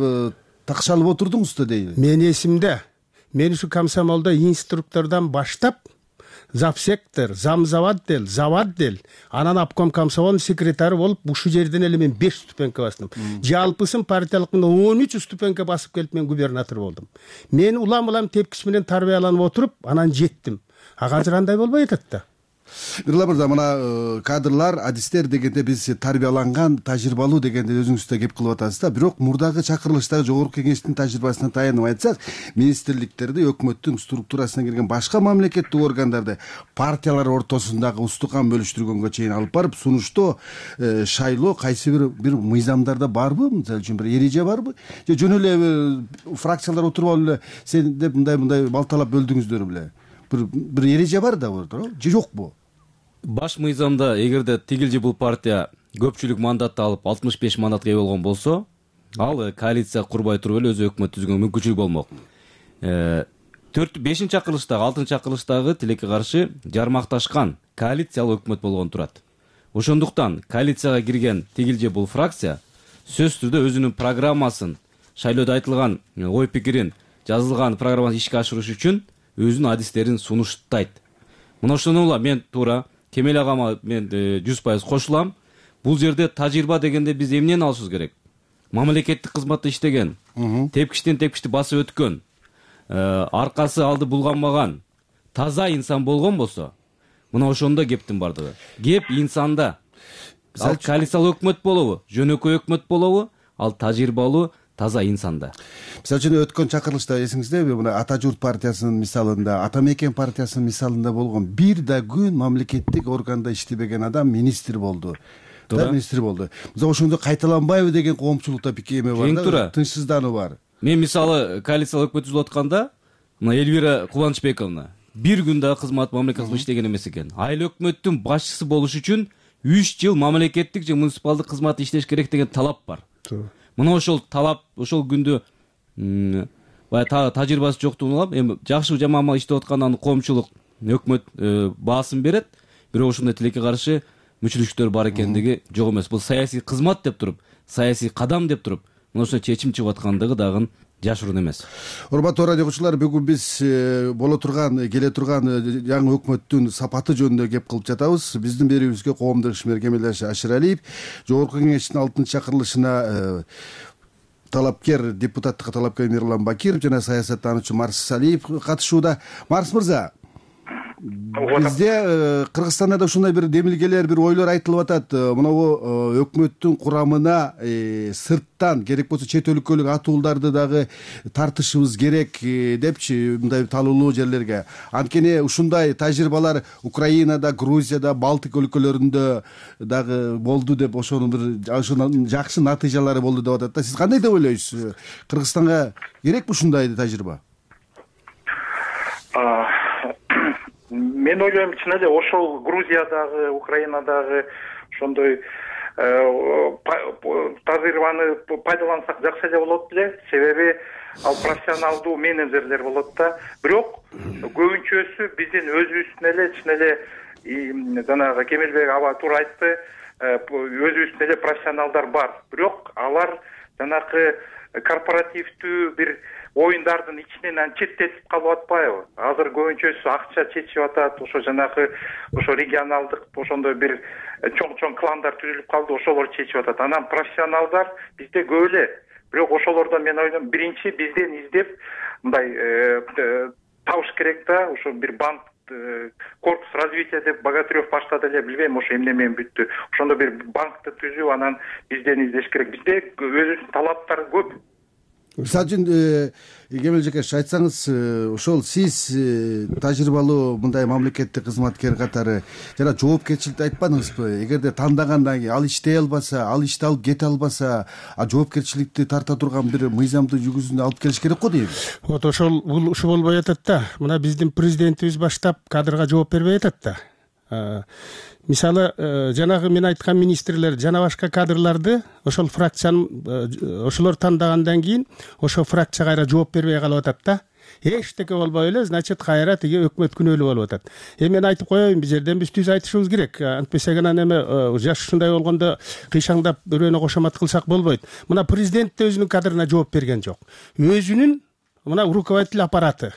[SPEAKER 6] такшалып отурдуңуз да дейли.
[SPEAKER 10] Мен эсимде, мен ушу комсомолдо инструктордон баштап завсектор, замзаводдел, заводдел, анан обком комсомол секретары болуп ушул жерден эле мен 5 ступенька бастым. Жалпысын партиялык 13 ступенька басып келип мен губернатор болдум. Мен улам тепкич менен тарбияланып отуруп, анан жеттим. Азыр андай болбой атат да.
[SPEAKER 6] Мирла мырза, мына кадрлар, адистер дегенде биз тарбияланган, тажрыйбалуу дегенде өзүңүз да кеп кылып атасыз да. Бирок мурдагы чакырылыштагы жогорку кеңештин тажрыйбасына таянып айтсак, министрликтерди, өкмөттүн структурасына кирген башка мамлекеттик органдарды партиялар ортосундагы устукан бөлүштүргөнгө чейин алып барып, сунуштоо шайлоо кайсы бир мыйзамдарда барбы? Мисалы үчүн бир эреже барбы? Же жөн эле фракциялар отуруп алып эле сен деп мындай балталап бөлдүңүздөр беле? Бир эреже бар да, же жокпу?
[SPEAKER 8] Баш мыйзамда эгерде тигил же бул партия көпчүлүк мандатты алып 65 мандатка ээ болгон болсо, ал коалиция курбай туруп эле өзү өкмөт түзгөнгө мүмкүнчүлүк болмок. 5 чакырылыштагы, 6 чакырылыштагы тилекке каршы жармакташкан коалициялык өкмөт болгон турат. Ошондуктан коалицияга кирген тигил же бул фракция сөзсүз түрдө өзүнүн программасын, шайлоодо айтылган ой пикирин, жазылган программасын ишке ашырыш үчүн өзүнүн адистерин сунуштайт. Мына ошону ула мен туура Кемел агама мен 100% кошулам. Бул жерде тажрыйба дегенде биз эмнени алышыбыз керек? Мамлекеттик кызматта иштеген, тепкичтен тепкичти басып өткөн, аркасы алды булганбаган таза инсан болгон болсо, мына ошондо кептин бардыгы. Кеп инсанда. Ал коалициялык өкмөт болобу, жөнөкөй өкмөт болобу, ал тажрыйбалуу таза инсанда.
[SPEAKER 6] Мисалы үчүн өткөн чакырылышта эсиңиздеби, мына Ата журт партиясынын мисалында, Ата мекен партиясынын мисалында болгон бир да күн мамлекеттик органда иштебеген адам министр болду. Министр болду. Мисалы ошондо кайталанбайбы деген коомчулукта пикеме бар да, тынчсыздануу бар.
[SPEAKER 8] Мен мисалы коалициялык өкмөт түзүп атканда, мына Эльвира Кубанычбековна бир күн да кызмат мамлекеттик иштеген эмес экен. Айыл өкмөттүн башчысы болуш үчүн 3 жыл мамлекеттик же муниципалдык кызматта иштеш керек деген талап бар. Мына ошол талап, ошол күндө баягы тажрыйбасы жоктугун улам, эми жакшы жаман иштеп аткандан коомчулук өкмөт баасын берет, бирок ошондой тилекке каршы мүчүлүштөр бар экендиги жок эмес. Бул саясий кызмат деп туруп, саясий кадам деп туруп, мына ошо чечим чыгып аткандыгы дагы жашыруун эмес.
[SPEAKER 6] Урматтуу радио угуучулар, бүгүн биз келе турган жаңы өкмөттүн сапаты жөнүндө кеп кылып жатабыз. Биздин берүүбүзгө коомдук ишмер Кемел Ашыралиев, жогорку кеңештин 6-чакырылышына талапкер, депутаттыкка талапкер Мирлан Бакиров жана саясаттануучу Марс Салиев катышууда. Марс мырза, бизде Кыргызстанда да ушундай бир демилгелер, бир ойлор айтылып атат. Мынабу өкмөттүн курамына сырттан, керек болсо чет өлкөлүк атууларды дагы тартышыбыз керек депчи, мындай талуулуу жерлерге. Анткени ушундай тажрыйбалар Украинада, Грузияда, Балтик өлкөлөрүндө дагы болду деп, ошонун бир жакшы натыйжалары болду деп атат да. Сиз кандай деп ойлойсуз? Кыргызстанга керекпи ушундай тажрыйба?
[SPEAKER 9] Мен ойлойм, чын эле ошол Грузиядагы, Украинадагы ошондой тажрыйбаны пайдалансак жакшы эле болот беле. Себеби ал профессионалдуу менеджерлер болот да. Бирок көбүнчөсү биздин өзүбүздүн эле чын эле жанагы Кемелбек аба туура айтты, өзүбүздүн эле профессионалдар бар. Бирок алар жанагы корпоративдүү бир оюндардын ичинен четтетип калып атпайбы? Азыр көбүнчөсү акча чечип атат, ошо жанагы ошо регионалдык ошондой бир чоң кландар түзүлүп калды, ошолор чечип атат. Анан профессионалдар бизде көп эле. Бирок ошолордон мен ойлойм, биринчи бизден издеп мындай табыш керек да, ошо бир банк корпус развития деп Богатырев баштады эле, билбейм ошо эмне менен бүттү. Ошондо бир банкты түзүп, анан бизден издеш керек. Бизде өзүнүн талаптары көп.
[SPEAKER 6] Мисалы үчүн Кемел Жекеш, айтсаңыз, ошол сиз тажрыйбалуу мындай мамлекеттик кызматкер катары жана жоопкерчиликти айтпадыңызбы? Эгерде тандагандан кийин ал иштей албаса, ал ишти алып кете албаса, жоопкерчиликти тарта турган бир мыйзамды жүгүзүнө алып келиш керек го дейм.
[SPEAKER 10] Вот ошол ушу болбой атат да. Мына биздин президентибиз баштап кадрга жооп бербей атат да. Мисалы, жанагы мен айткан министрлер жана башка кадрларды ошол фракциянын ошолор тандагандан кийин ошол фракция кайра жооп бербей калып атат да. эчтеке болбой эле, значит кайра тиги өкмөт күнөөлүү болуп атат. Мен айтып коеюн, бул жерден биз түз айтышыбыз керек. Антпесе гана эме жаш ушундай болгондо кыйшаңдап бирөөнө кошомат кылсак болбойт. Мына президент да өзүнүн кадрына жооп берген жок. Өзүнүн мына руководитель аппараты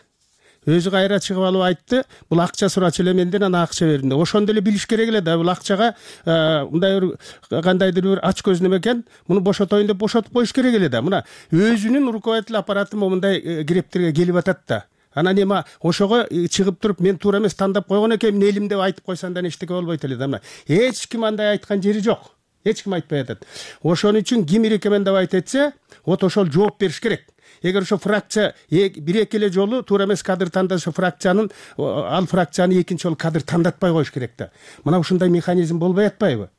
[SPEAKER 10] өзү кайра чыгып алып айтты, бул акча сурачу эле менден, ана акча бердим деп. Ошондо эле билиш керек эле да, бул акчага мындай бир кандайдыр бир ач көз неме экен, муну бошотоюн деп бошотуп коюш керек эле да. Мына өзүнүн руководитель аппараты мындай грептерге келип атат да. Анан эми ошого чыгып туруп мен туура эмес тандап койгон экенмин элим деп айтып койсоң да эчтеке болбойт эле да. Мына эч ким андай айткан жери жок. Эч ким айтпай атат. Ошон үчүн ким рекомендовать этсе, вот ошол жооп бериш керек. Эгер ошо фракция бир-эки эле жолу туура эмес кадр тандаса, фракциянын ал фракцияны экинчи жолу кадр тандатпай коюш керек да. Мына ушундай механизм болбой атпайбы?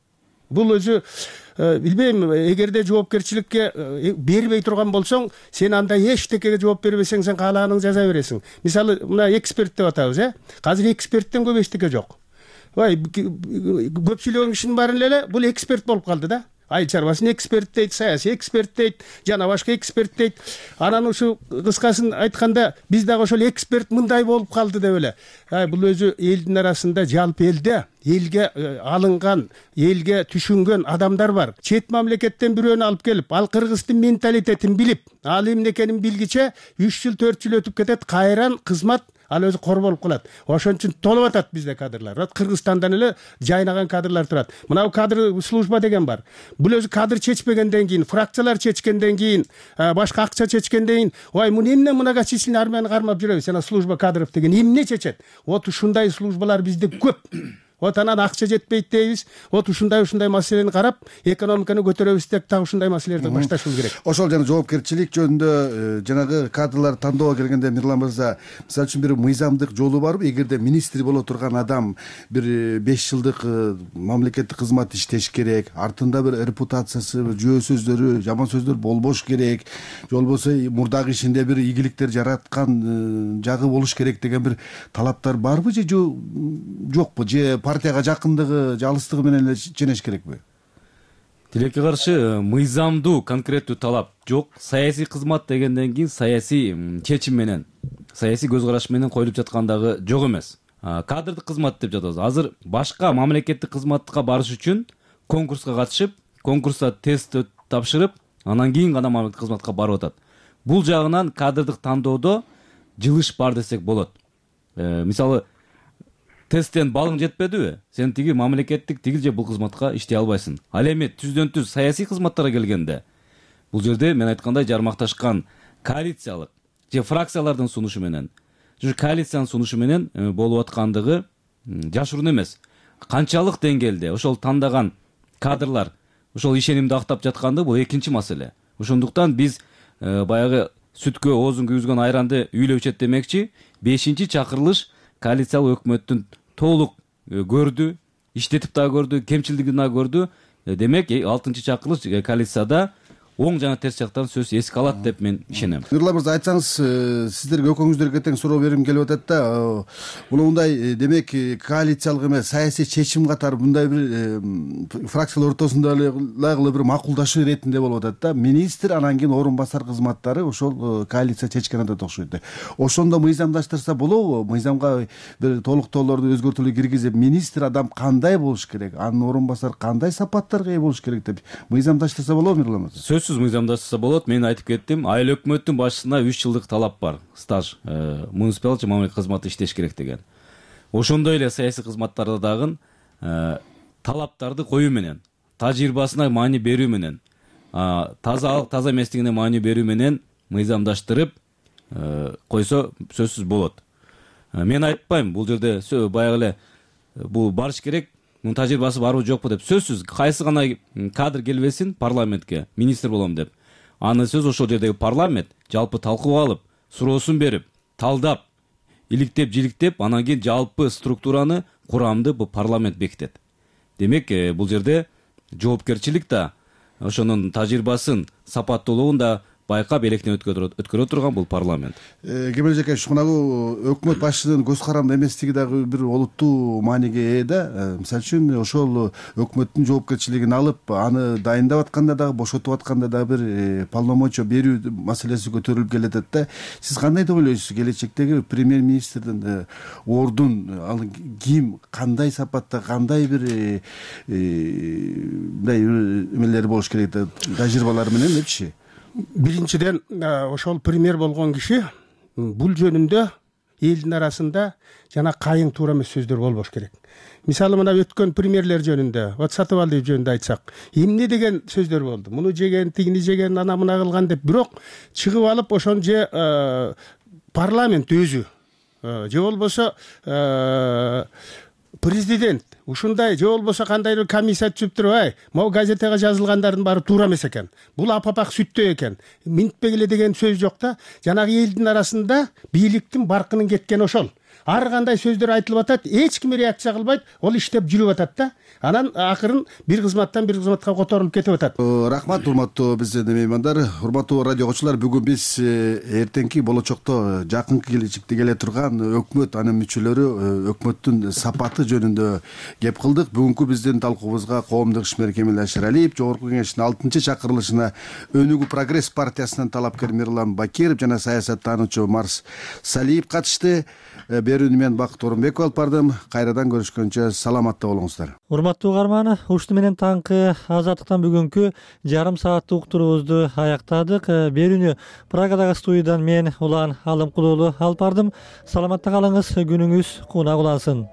[SPEAKER 10] Бул өзү билбейм, эгерде жоопкерчиликке бербей турган болсоң, сен анда эчтекеге жооп бербесең, сен каалааның жаза бересиң. Мисалы, мына эксперт деп атабыз, Азыр эксперттен көп эчтеке жок. Көпчүлүк кишинин баары эле бул эксперт болуп калды да. Айыл чарбасын эксперт дейт, саясий эксперт дейт, жана башка эксперт дейт. Анан ушу кыскасын айтканда биз дагы ошол эксперт мындай болуп калды деп эле. Бул өзү элдин арасында, жалпы элде элге алынган, элге түшүнгөн адамдар бар. Чет мамлекеттен бирөөнү алып келип, ал кыргыздын менталитетин билип, ал эмне экенин билгиче 3 жыл 4 жыл өтүп кетет, кайран кызмат ал өзү кор болуп калат. Ошон үчүн толуп атат бизде кадрлар. Кыргызстандан эле жайнаган кадрлар турат. Мына кадр служба деген бар. Бул өзү кадр чечпегенден кийин, фракциялар чечкенден кийин, башка акча чечкенден кийин, муну эмне многочисленный армияны кармап жүрөбүз, жана служба кадров деген эмне чечет? Вот ушундай службалар бизде көп. Вот анан акча жетпейт дейбиз. Вот ушундай маселени карап, экономиканы көтөрөбүз деп так ушундай маселелерди башташыбыз керек.
[SPEAKER 6] Ошол жана жоопкерчилик жөнүндө жанагы кадрлар тандоого келгенде Мирлан мырза, мисалы үчүн бир мыйзамдык жолу барбы? Эгерде министр боло турган адам бир 5 жылдык мамлекеттик кызмат иштеш керек, артында бир репутациясы, жөө сөздөрү, жаман сөздөр болбош керек, же болбосо мурдагы ишинде бир ийгиликтер жараткан жагы болуш керек деген бир талаптар барбы же жокпу? Же партияга жакындыгы, алыстыгы менен эле ченеш керекпи?
[SPEAKER 8] Тилекке каршы мыйзамдуу конкреттүү талап жок. Саясий кызмат дегенден кийин саясий чечим менен, саясий көз караш менен коюлуп жаткандагы жок эмес. Кадрдык кызмат деп жатабыз. Азыр башка мамлекеттик кызматка барыш үчүн конкурска катышып, конкурста тест тапшырып, анан кийин гана мамлекеттик кызматка барып атат. Бул жагынан кадрдык тандоодо жылыш бар десек болот. Мисалы, тесттен балың жетпедиби? Сен тиги мамлекеттик тигил же бул кызматка иштей албайсың. Ал эми түздөн түз саясий кызматтарга келгенде, бул жерде мен айткандай жармакташкан коалициялык же фракциялардын сунушу менен, же коалициянын сунушу менен болуп аткандыгы жашыруун эмес. Канчалык деңгээлде ошол тандаган кадрлар ошол ишенимди актап жатканды бул экинчи маселе. Ошондуктан биз баягы сүткө оозун күйгүзгөн айранды үйлөп ичет демекчи, 5-чакырылыш коалициялык өкмөттүн толук көрдү, иштетип да көрдү, кемчилдигин да көрдү. Демек 6-чакырылыш коалицияда оң жана терс жактарын сөз эске алат деп мен ишенем.
[SPEAKER 6] Мирлан мырза, айтсаңыз, сиздерге экөөңүздөргө тең суроо берим келип атат да. Муну мындай, демек, коалициялык эмес, саясий чечим катары мындай бир фракциялар ортосундагы бир макулдашуу иретинде болуп атат да. Министр, анан кийин орун басар кызматтары ошол коалиция чечкен атат окшойт. Ошондо мыйзамдаштырса болобу? Мыйзамга бир толуктоолорду, өзгөртүүлөр киргизип, министр адам кандай болуш керек, анын орун басары кандай сапаттарга ээ болуш керек деп мыйзамдаштырса болобу, Мирлан мырза?
[SPEAKER 8] Мыйзамдаштырса болот. Мен айтып кеттим, айыл өкмөттүн башчысына 3 жылдык талап бар. Стаж, муниципалдык же мамлекеттик кызматта иштеш керек деген. Ошондой эле саясий кызматтарда дагы талаптарды коюу менен, тажрыйбасына маани берүү менен, таза эместигине маани берүү менен мыйзамдаштырып койсо сөзсүз болот. Мен айтпайм, бул жерде баягы эле бул барыш керек, мунун тажрыйбасы барбы жокпу деп. Сөзсүз кайсы гана кадр келбесин парламентке министр болом деп. Анын сөз ошол жердеги парламент жалпы талкууга алып, суроосун берип, талдап, иликтеп, жиликтеп, анан кийин жалпы структураны, курамды бул парламент бекитет. Демек, бул жерде жоопкерчилик да, ошонун тажрыйбасын, сапаттуулугун да байкап электен өткөрө турган бул парламент.
[SPEAKER 6] Кемел эжеке, ушунагу өкмөт башчысынын көз каранды эместиги дагы бир олуттуу мааниге ээ да. Мисалы үчүн ошол өкмөттүн жоопкерчилигин алып, аны дайындап атканда дагы, бошотуп атканда дагы бир полномочия берүү маселеси көтөрүлүп келатат да. Сиз кандай деп ойлойсуз, келечектеги премьер-министрдин ордун ал ким, кандай сапатта, кандай бир мындай эмелери болуш керек да, тажрыйбалары менен депчи?
[SPEAKER 10] Биринчиден, ошол премьер болгон киши бул жөнүндө элдин арасында жана кайың туура эмес сөздөр болбош керек. Мисалы мына өткөн премьерлер жөнүндө, вот Сатыбалдиев жөнүндө айтсак, эмне деген сөздөр болду? Муну жеген, тигини жеген, ана мына кылган деп, бирок чыгып алып ошон же парламент өзү же болбосо президент ушундай, же болбосо кандайдыр комиссия түзүп туруп, могу газетага жазылгандардын баары туура эмес экен, бул апапак сүттөө экен, минтпегиле деген сөз жок да. Жанагы элдин арасында бийликтин баркынын кеткени ошол. Ар кандай сөздөр айтылып атат, эч ким реакция кылбайт, ол иштеп жүрүп атат да. Анан акырын бир кызматтан бир кызматка которулуп кетип атат.
[SPEAKER 6] Рахмат, урматтуу биздин меймандар, урматтуу радио окуучулар. Бүгүн биз эртеңки болочокто, жакынкы келечекте келе турган өкмөт, анын мүчөлөрү, өкмөттүн сапаты жөнүндө кеп кылдык. Бүгүнкү биздин талкуубузга коомдук ишмер Кемел Ашыралиев, Жогорку Кеңештин 6-чакырылышына Өнүгүү прогресс партиясынын талапкер Мирлан Бакиров жана саясаттануучу Марс Салиев катышты. Берүүнү мен Бакыт Орунбеков алып бардым. Кайрадан көрүшкөнчө саламатта болуңуздар.
[SPEAKER 5] Урматтуу угарман, ушуну менен таңкы Азаттыктан бүгүнкү жарым сааттык уктуруубузду аяктадык. Берүүнү Прагадагы студиядан мен Улан Алымкулуулу алып бардым. Саламатта калыңыз, күнүңүз кууна улансын.